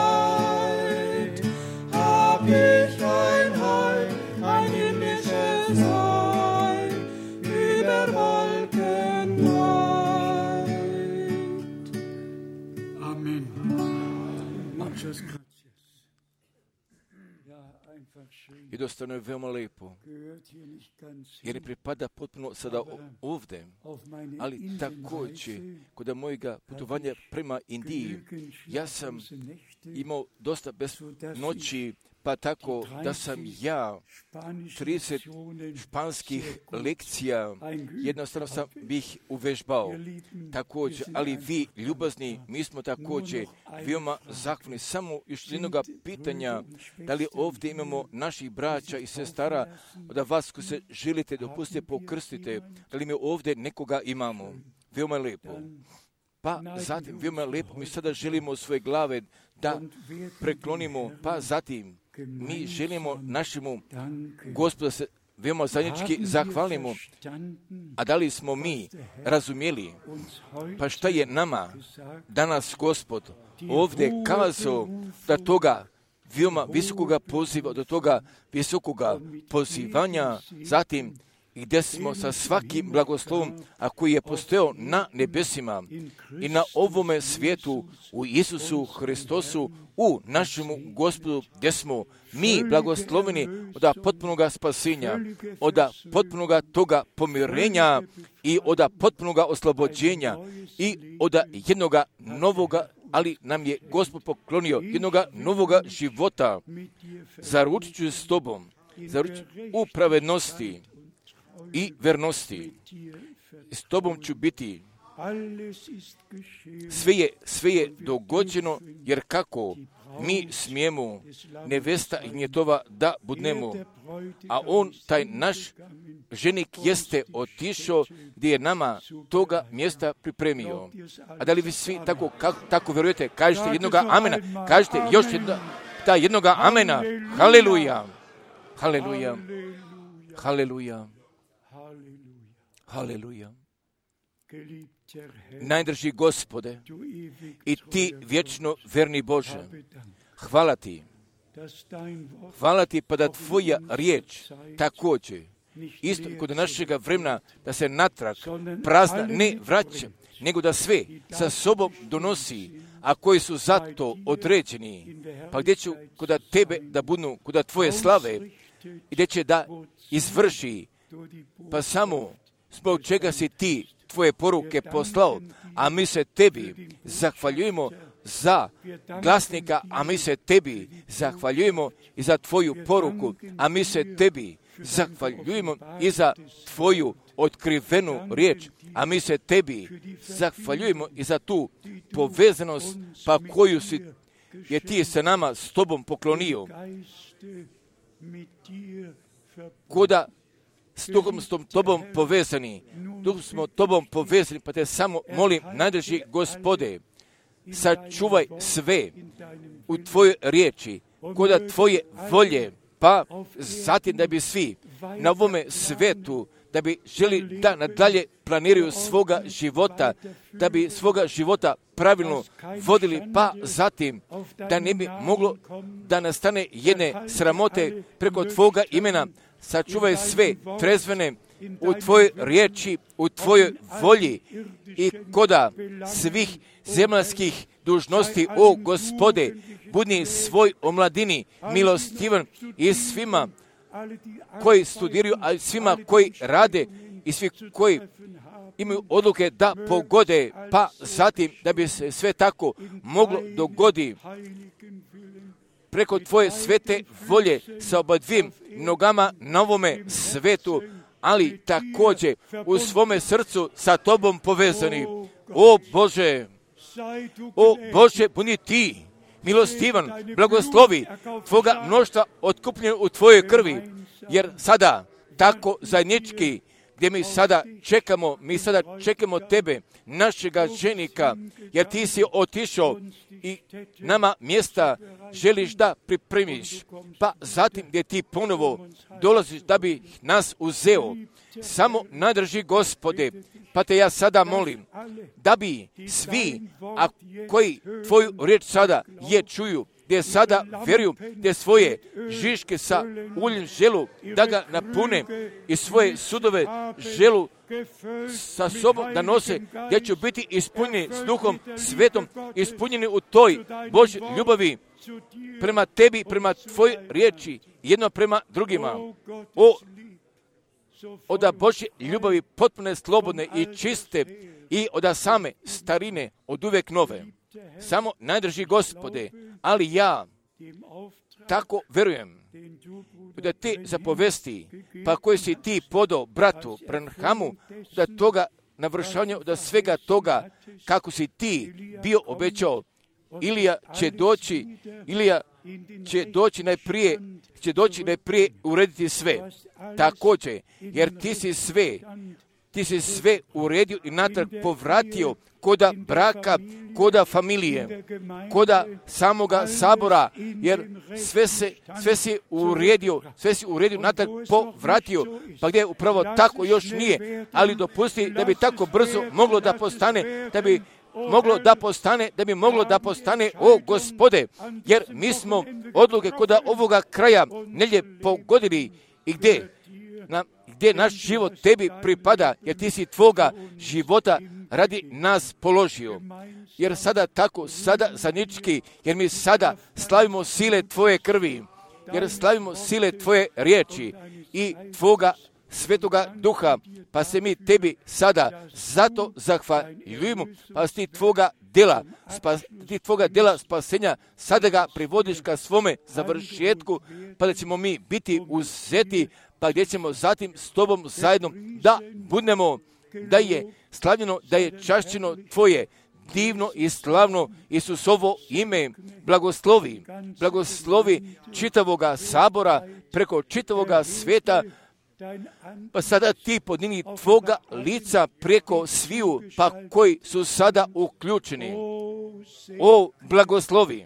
Herrlichkeit, hab ich ein Heim, ein himmlisches Heim, über Wolken weit. Amen. Muchas gracias. Ja, einfach schön. Jednostavno je veoma lepo, Gehört hier nicht ganz jer ne hin. pripada potpuno sada o- ovdje, Auf meine ali također Indienreise kod mojega putovanja prema Indiji, genügend ja sam schlaflose Nächte, imao dosta bez noći, pa tako da sam ja spanische trideset Lektionen španskih sehr gut lekcija eingeübt jednostavno sam habe. bih uvežbao. Ihr Lieben, Također, wir sind ali einfach vi, dankbar. ljubazni, mi smo također Nur noch eine veoma Frage. zahvalni. Samo još Sind jednoga Brüder pitanja, und da li Schwestern ovdje imamo hier, naših braća die i sich sestara, taufen lassen? da vas koji se želite dopustite Haben wir pokrstite, jemand? da li mi ovdje nekoga imamo? Veoma je lepo. Dann Pa zatim, veoma je lepo, mi sada želimo svoje glave da und werden preklonimo, dem pa Herrn zatim mi želimo gemeinsam našemu danken. Gospodu se veoma zajednički Haben wir zahvalimo. verstanden, A da li smo mi razumjeli, uns heute pa šta je nama gesagt, danas Gospod ovdje kazao da toga veoma visokoga poziva, do toga visokoga pozivanja, zatim i gdje smo sa svakim blagoslovom, a koji je postojao na nebesima i na ovome svijetu u Isusu Hristosu, u našemu Gospodu, gdje smo mi blagosloveni od potpunoga spasenja, od potpunoga toga pomirenja i od potpunoga oslobođenja i od jednoga novoga, ali nam je Gospod poklonio jednoga novoga života. Zaručit ću s tobom, zaručit u pravednosti i vernosti. S tobom ću biti. Sve je, sve je dogođeno, jer kako mi smijemo nevesta i njetova da budnemo, a on, taj naš ženik, jeste otišao gdje je nama toga mjesta pripremio. A da li vi svi tako, kako, tako vjerujete? Kažete jednoga amena, kažete još jedna, ta jednoga amena. Haleluja, haleluja, haleluja, haleluja. Najdrži Gospode i ti vječno verni Bože, hvala ti, hvala ti pa da tvoja riječ također, isto kod našega vremena, da se natrag prazna ne vraća, nego da sve sa sobom donosi, a koji su zato određeni, pa gdje ću kod tebe da budu, kod tvoje slave, i gdje će da izvrši, pa samo zbog čega si ti tvoje poruke poslao, a mi se tebi zahvaljujemo za glasnika, a mi se tebi zahvaljujemo i za tvoju poruku, a mi se tebi zahvaljujemo i za tvoju otkrivenu riječ, a mi se tebi zahvaljujemo i za tu povezanost pa koju si je ti sa nama s tobom poklonio. Koda s tobom, s tom tobom povezani, tu smo tobom povezani, pa te samo molim, najdrži Gospode, sačuvaj sve u tvojoj riječi, koda tvoje volje, pa zatim da bi svi na ovome svetu, da bi želi da nadalje planiraju svoga života, da bi svoga života pravilno vodili, pa zatim da ne bi moglo da nastane jedne sramote preko tvoga imena. Sačuvaj sve trezvene u tvojoj riječi, u tvojoj volji i koda svih zemaljskih dužnosti, o Gospode, budi svoj omladini milostivan i svima koji studiraju, a svima koji rade i svi koji imaju odluke da pogode, pa zatim da bi se sve tako moglo dogodi preko tvoje svete volje sa obadvim nogama na ovome svetu, ali također u svome srcu sa tobom povezani. O Bože, o Bože, budi ti milostivan, blagoslovi tvoga mnoštva otkupljeno u tvojoj krvi, jer sada tako zajednički, gdje mi sada čekamo, mi sada čekamo tebe, našega ženika, jer ti si otišao i nama mjesta želiš da pripremiš, pa zatim gdje ti ponovo dolaziš da bi nas uzeo. Samo nadrži, Gospode, pa te ja sada molim da bi svi, a koji tvoju riječ sada je čuju, gdje sada vjeruju, gdje svoje žiške sa uljem želu da ga napune i svoje sudove želu sa sobom da nose, gdje će biti ispunjeni s Duhom Svetom, ispunjeni u toj Božoj ljubavi prema tebi, prema tvojoj riječi, jedno prema drugima. O, od Božje ljubavi potpune, slobodne i čiste i od same starine, od uvijek nove. Samo najdrži, Gospode, ali ja tako vjerujem da ti zapovesti, pa koji si ti podao bratu Branhamu, da toga navršavanja, da svega toga kako si ti bio obećao, Ilija će doći, Ilija će doći najprije, će doći najprije urediti sve. Također, jer ti si sve, ti si sve uredio i natrag povratio koda braka, koda familije, koda samoga sabora, jer sve se, sve si uredio, sve si uredio, natrag povratio, pa gdje upravo tako još nije, ali dopusti da bi tako brzo moglo da postane, da bi moglo da postane, da bi moglo da postane, o Gospode, jer mi smo odluke koda ovoga kraja nelje pogodili i gdje, na, gdje naš život tebi pripada, jer ti si tvoga života radi nas položio. Jer sada tako, sada zajednički, jer mi sada slavimo sile tvoje krvi, jer slavimo sile tvoje riječi i tvoga Svetoga Duha, pa se mi tebi sada zato zahvaljujemo, pa si ti tvoga djela, spas, ti tvoga djela spasenja, sada ga privodiš ka svome završetku, pa da ćemo mi biti uzeti, pa gdje ćemo zatim s tobom zajedno da budemo, da je slavljeno, da je čašćeno tvoje divno i slavno Isusovo ime. Blagoslovi, blagoslovi čitavoga sabora, preko čitavoga sveta, pa sada ti podnini tvoga lica preko sviju, pa koji su sada uključeni. O blagoslovi,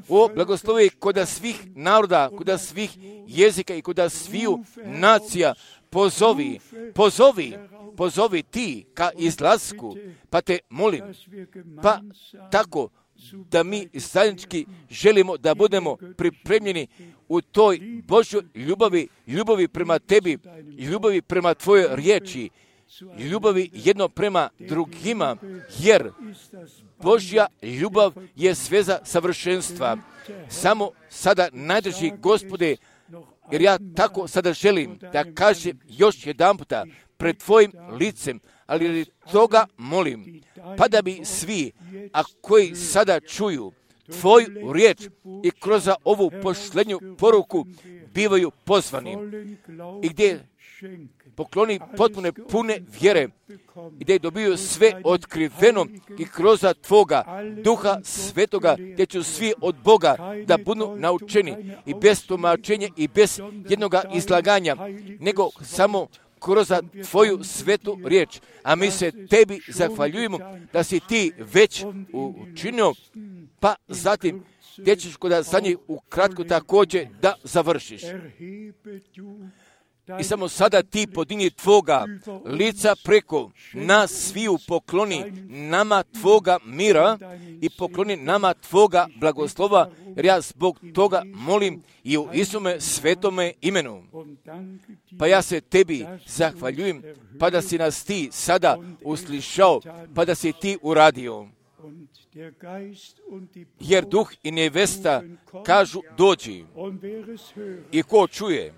o blagoslovi koda svih naroda, koda svih jezika i koda sviju nacija, pozovi, pozovi, pozovi ti ka izlasku, pa te molim, pa tako da mi zajednički želimo da budemo pripremljeni u toj Božjoj ljubavi, ljubavi prema tebi, ljubavi prema tvojoj riječi, ljubavi jedno prema drugima, jer Božja ljubav je sveza savršenstva. Samo sada najdrži, Gospode, jer ja tako sada želim da kažem još jedan puta pred tvojim licem, ali toga molim, pa da bi svi, a koji sada čuju tvoju riječ i kroz ovu posljednju poruku bivaju pozvani i gdje pokloni potpune pune vjere i gdje dobiju sve otkriveno i kroz tvoga Duha Svetoga, gdje će svi od Boga da budu naučeni i bez tumačenja i bez jednoga izlaganja, nego samo kroz tvoju svetu riječ. A mi se tebi zahvaljujemo da si ti već učinio, pa zatim gdje ćeš kod za njih ukratko također da završiš. I samo sada ti podini tvoga lica preko nas sviju pokloni nama tvoga mira i pokloni nama tvoga blagoslova, jer ja zbog toga molim i u Isume svetome imenu. Pa ja se tebi zahvaljujem, pa da si nas ti sada uslišao, pa da si ti uradio. Jer duh i nevesta kažu dođi. I ko čuje,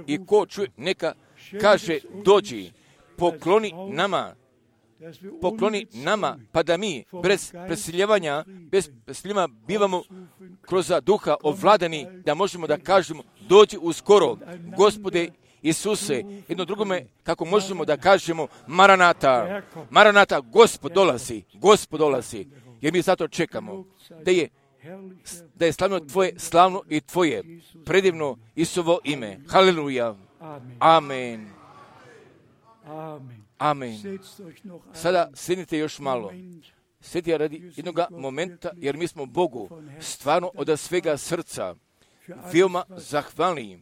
i ko čuje, neka kaže dođi, pokloni nama pokloni nama, pa da mi bez presiljevanja, bez presiljevanja bivamo kroz duha ovladani, da možemo da kažemo, dođi uskoro, Gospode Isuse, jedno drugome, kako možemo da kažemo, Maranata, Maranata, Gospod dolazi, Gospod dolazi, jer mi zato čekamo, da je, da je slavno Tvoje, slavno i Tvoje, predivno Isusovo ime. Haleluja. Amen. Amen. Sada sjednite još malo. Sjedite radi jednog momenta, jer mi smo Bogu stvarno od svega srca veoma zahvalni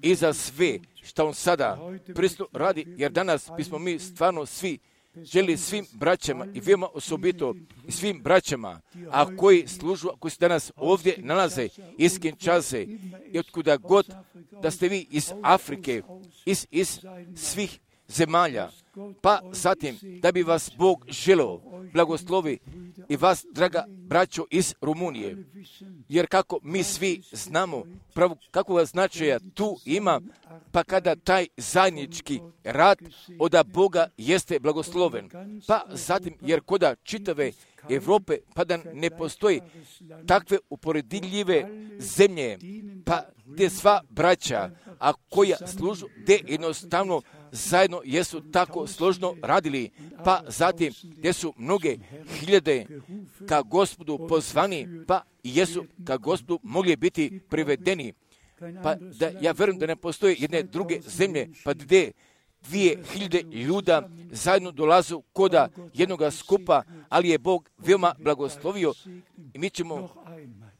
i za sve što On sada prisutno radi, jer danas bismo mi stvarno svi želi svim braćama i veoma osobito svim braćama, a koji služu, koji se danas ovdje nalaze iz Kinshase i otkuda god da ste vi iz Afrike, iz, iz svih zemalja, pa zatim da bi vas Bog želeo blagoslovi i vas, draga braćo iz Rumunije, jer kako mi svi znamo pravo kakvog značaja tu ima, pa kada taj zajednički rad od Boga jeste blagosloven, pa zatim jer koda čitave Evrope, pa da ne postoji takve uporediljive zemlje, pa gdje sva braća, a koja služu, gdje jednostavno zajedno jesu tako složno radili, pa zatim gdje su mnoge hiljade ka Gospodu pozvani, pa jesu ka Gospodu mogli biti privedeni. Pa da ja vjerujem da ne postoje jedne druge zemlje, pa gdje dvije hiljade ljuda zajedno dolazu koda jednoga skupa, ali je Bog veoma blagoslovio i mi ćemo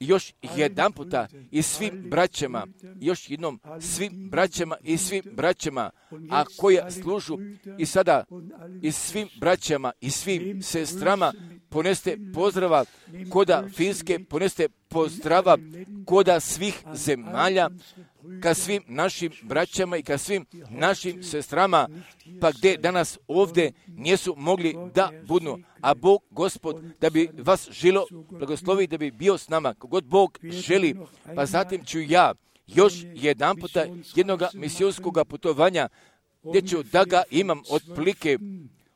još jedan puta i svim braćama, još jednom svim braćama i svim braćama, a koja služu i sada i svim braćama i svim sestrama poneste pozdrava koda Finske, poneste pozdrava koda svih zemalja, ka svim našim braćama i ka svim našim sestrama, pa gdje danas ovdje nisu mogli da budu, a Bog, Gospod, da bi vas želo blagoslovi, da bi bio s nama, kogod Bog želi, pa zatim ću ja još jedan puta jednog misijonskog putovanja, gdje ću da ga imam otprilike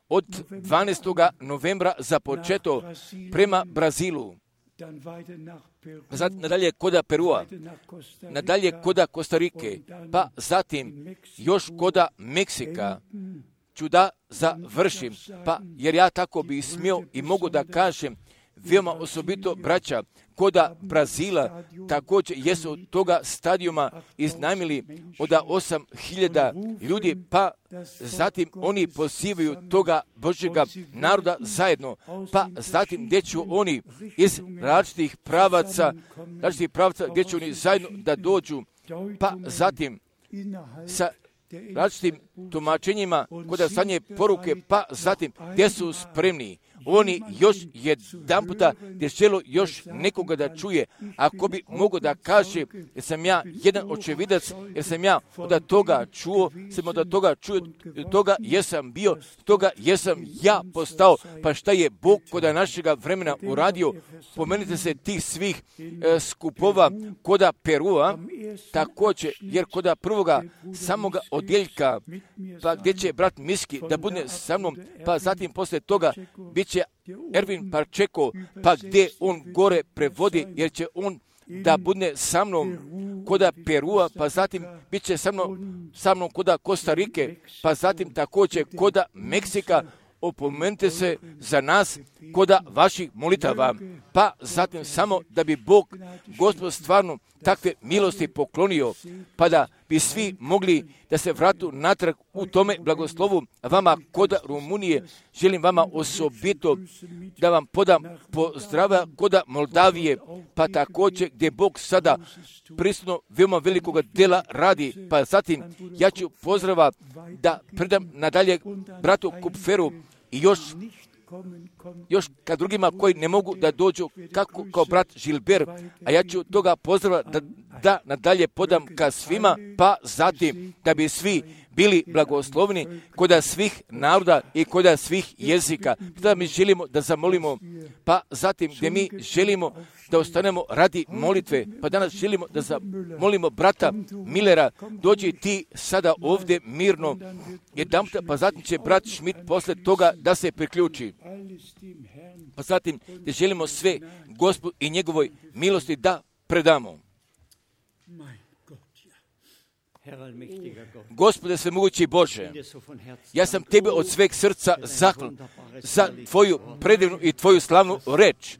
od dvanaestog novembra započeto prema Brazilu, zatim nadalje koda Perua, nadalje koda Kostarike, pa zatim još koda Meksika ću da završim, pa jer ja tako bi smio i mogu da kažem, veoma osobito braća koda Brazila također jesu od toga stadijuma iznajmili od osam hiljada ljudi, pa zatim oni pozivaju toga Božjega naroda zajedno, pa zatim gdje će oni iz različitih pravaca, različitih pravaca gdje će oni zajedno da dođu, pa zatim sa različitim tumačenjima koda sanje poruke, pa zatim gdje su spremni. Oni još jedan puta gdje želo još nekoga da čuje, ako bi mogo da kaže, jer sam ja jedan očevidac, jer sam ja od toga čuo, sam od toga čuo, toga jesam bio, toga jesam ja postao, pa šta je Bog koda našega vremena uradio, pomenite se tih svih e, skupova koda Perua, također, jer koda prvoga samoga odjeljka, pa gdje će brat Miski da bude sa mnom, pa zatim posle toga bit će Ervin Parčeko, pa gdje on gore prevodi, jer će on da bude sa mnom koda Perua, pa zatim bit će sa mnom, sa mnom koda Kostarike, pa zatim također koda Meksika. Opomenite se za nas koda vaših molitava, pa zatim samo da bi Bog, Gospod, stvarno takve milosti poklonio, pa da bi svi mogli da se vratu natrag u tome blagoslovu. Vama koda Rumunije želim vama osobito da vam podam pozdrava koda Moldavije, pa također gdje Bog sada prisutno veoma velikog dela radi, pa zatim ja ću pozdrava da predam nadalje bratu Kupferu i još još ka drugima koji ne mogu da dođu kako kao brat Žilber, a ja ću toga pozdrava da, da nadalje podam ka svima, pa zatim da bi svi bili blagoslovni kod svih naroda i kod svih jezika. Da mi želimo da zamolimo, pa zatim gdje mi želimo da ostanemo radi molitve, pa danas želimo da zamolimo brata Millera, dođi ti sada ovdje mirno, jedan, pa zatim će brat Schmidt posle toga da se priključi. Pa zatim gdje želimo sve Gospodu i njegovoj milosti da predamo. Gospode svemogući Bože, ja sam Tebe od sveg srca zahvalan za Tvoju predivnu i Tvoju slavnu reč,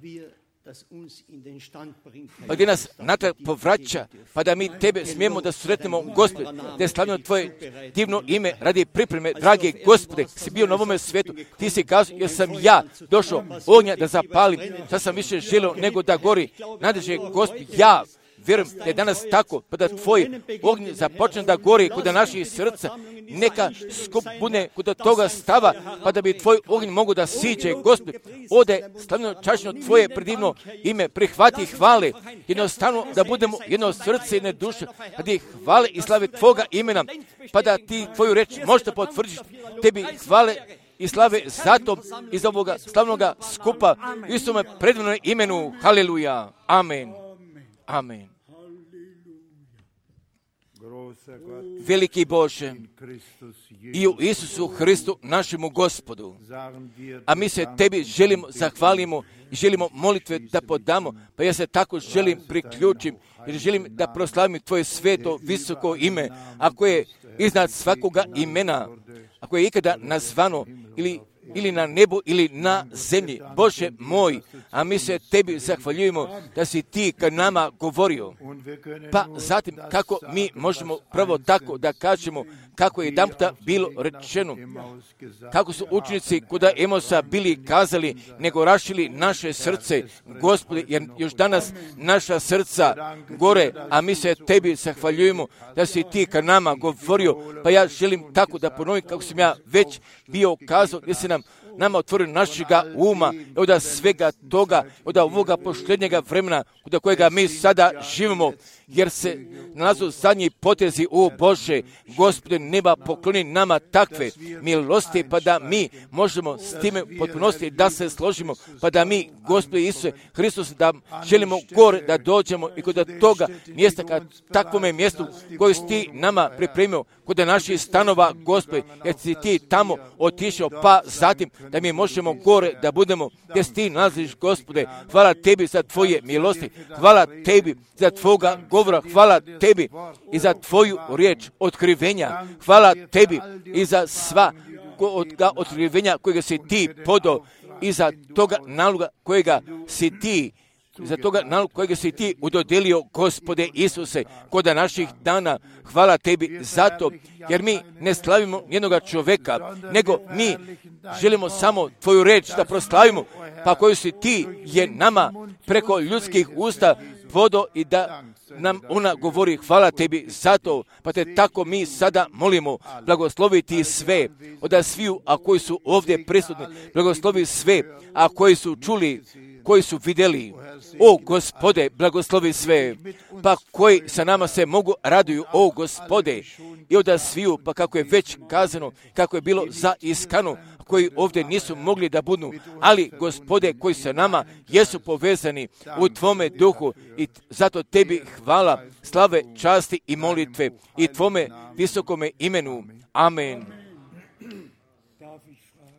pa gdje nas natrag povraća, pa da mi Tebe smijemo da sretnemo, Gospode, da je slavno Tvoje divno ime radi pripreme, dragi Gospode, si bio na ovome svijetu, Ti si kazao, jer sam ja došao ognja da zapalim, sad sam više želio nego da gori, nadježe Gospod, ja vjerujem da je danas tako, pa da Tvoj ognj započne da gori kod naših srca, neka skup bude kod toga stava, pa da bi Tvoj ognj mogu da siđe, Gospod, ode slavno čačno Tvoje predivno ime, prihvati hvale, jednostavno da budemo jedno srce i jedne duše, radi hvale i slave Tvoga imena, pa da Ti Tvoju reč možete potvrditi, Tebi hvale i slave zato iz ovoga slavnoga skupa, u istome predivnom imenu, haleluja, amen, amen. Veliki Bože, i u Isusu Hristu našemu Gospodu, a mi se Tebi želimo, zahvalimo i želimo molitve da podamo, pa ja se tako želim priključim, jer želim da proslavim Tvoje sveto, visoko ime, ako je iznad svakoga imena, ako je ikada nazvano ili ili na nebu, ili na zemlji. Bože moj, a mi se Tebi zahvaljujemo da si Ti kad nama govorio. Pa zatim, kako mi možemo pravo tako da kažemo, kako je jedanputa bilo rečeno, kako su učenici kod Emosa bili kazali, nego rašili naše srce, Gospodi, jer još danas naša srca gore, a mi se Tebi zahvaljujemo da si Ti kad nama govorio, pa ja želim tako da ponovim kako sam ja već bio kazao, gdje se nam nama otvorio našega uma, od svega toga, od ovoga posljednjega vremena, od kojega mi sada živimo, jer se nalazu zadnji potezi, o Bože, Gospode neba, pokloni nama takve milosti, pa da mi možemo s time potpunosti da se složimo, pa da mi, Gospode Isuse Hristos, da želimo gore da dođemo i kod toga mjesta, kad takvome mjestu koje si Ti nama pripremio, kod naših stanova, Gospode, jer si Ti tamo otišao, pa zatim da mi možemo gore da budemo gdje si Ti nalaziš, Gospode. Hvala Tebi za Tvoje milosti, hvala Tebi za Tvoga govora, hvala Tebi i za Tvoju riječ otkrivenja, hvala Tebi i za sva otkrivenja kojega si Ti podao i za toga naloga kojega si Ti za toga naloga kojega si Ti udodelio, Gospode Isuse, kod naših dana. Hvala Tebi zato, jer mi ne slavimo jednoga čovjeka, nego mi želimo samo Tvoju reč da proslavimo, pa koju si Ti je nama preko ljudskih usta podao i da nam ona govori. Hvala Tebi zato, pa Te tako mi sada molimo, blagoslovi Ti sve, od sviju, a koji su ovdje prisutni, blagoslovi sve, a koji su čuli, koji su vidjeli, o Gospode, blagoslovi sve, pa koji sa nama se mogu raduju, o Gospode, i od sviju, pa kako je već kazano, kako je bilo za iskanu, koji ovdje nisu mogli da budu, ali Gospode koji sa nama jesu povezani u Tvome duhu i zato Tebi hvala, slave, časti i molitve i Tvome visokome imenu. Amen.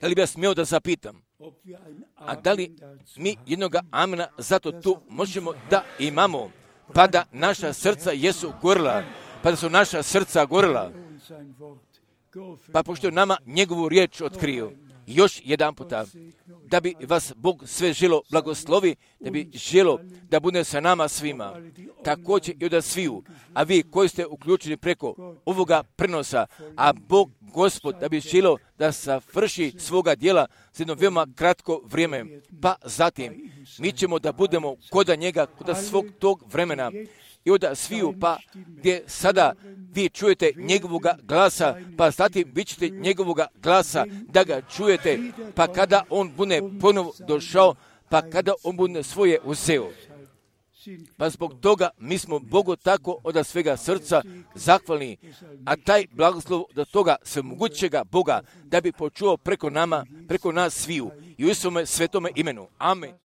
Da li bi ja smio da zapitam, a da li mi jednoga amena zato tu možemo da imamo, pa da naša srca jesu gorila, pa da su naša srca gorila, pa pošto je nama njegovu riječ otkrio. Još jedan puta, da bi vas Bog sve želo blagoslovi, da bi želo da bude sa nama svima, također i od sviju, a vi koji ste uključeni preko ovoga prenosa, a Bog Gospod da bi želo da savrši svoga djela za jedno veoma kratko vrijeme, pa zatim mi ćemo da budemo kod njega, kod svog tog vremena, i od sviju, pa gdje sada vi čujete njegovoga glasa, pa zatim vi ćete njegovoga glasa da ga čujete, pa kada on bude ponovo došao, pa kada on bude svoje uzeo. Pa zbog toga mi smo Bogu tako od svega srca zahvalni, a taj blagoslov do toga svemogućega Boga da bi počuo preko nama, preko nas sviju i u svome svetome imenu. Amen.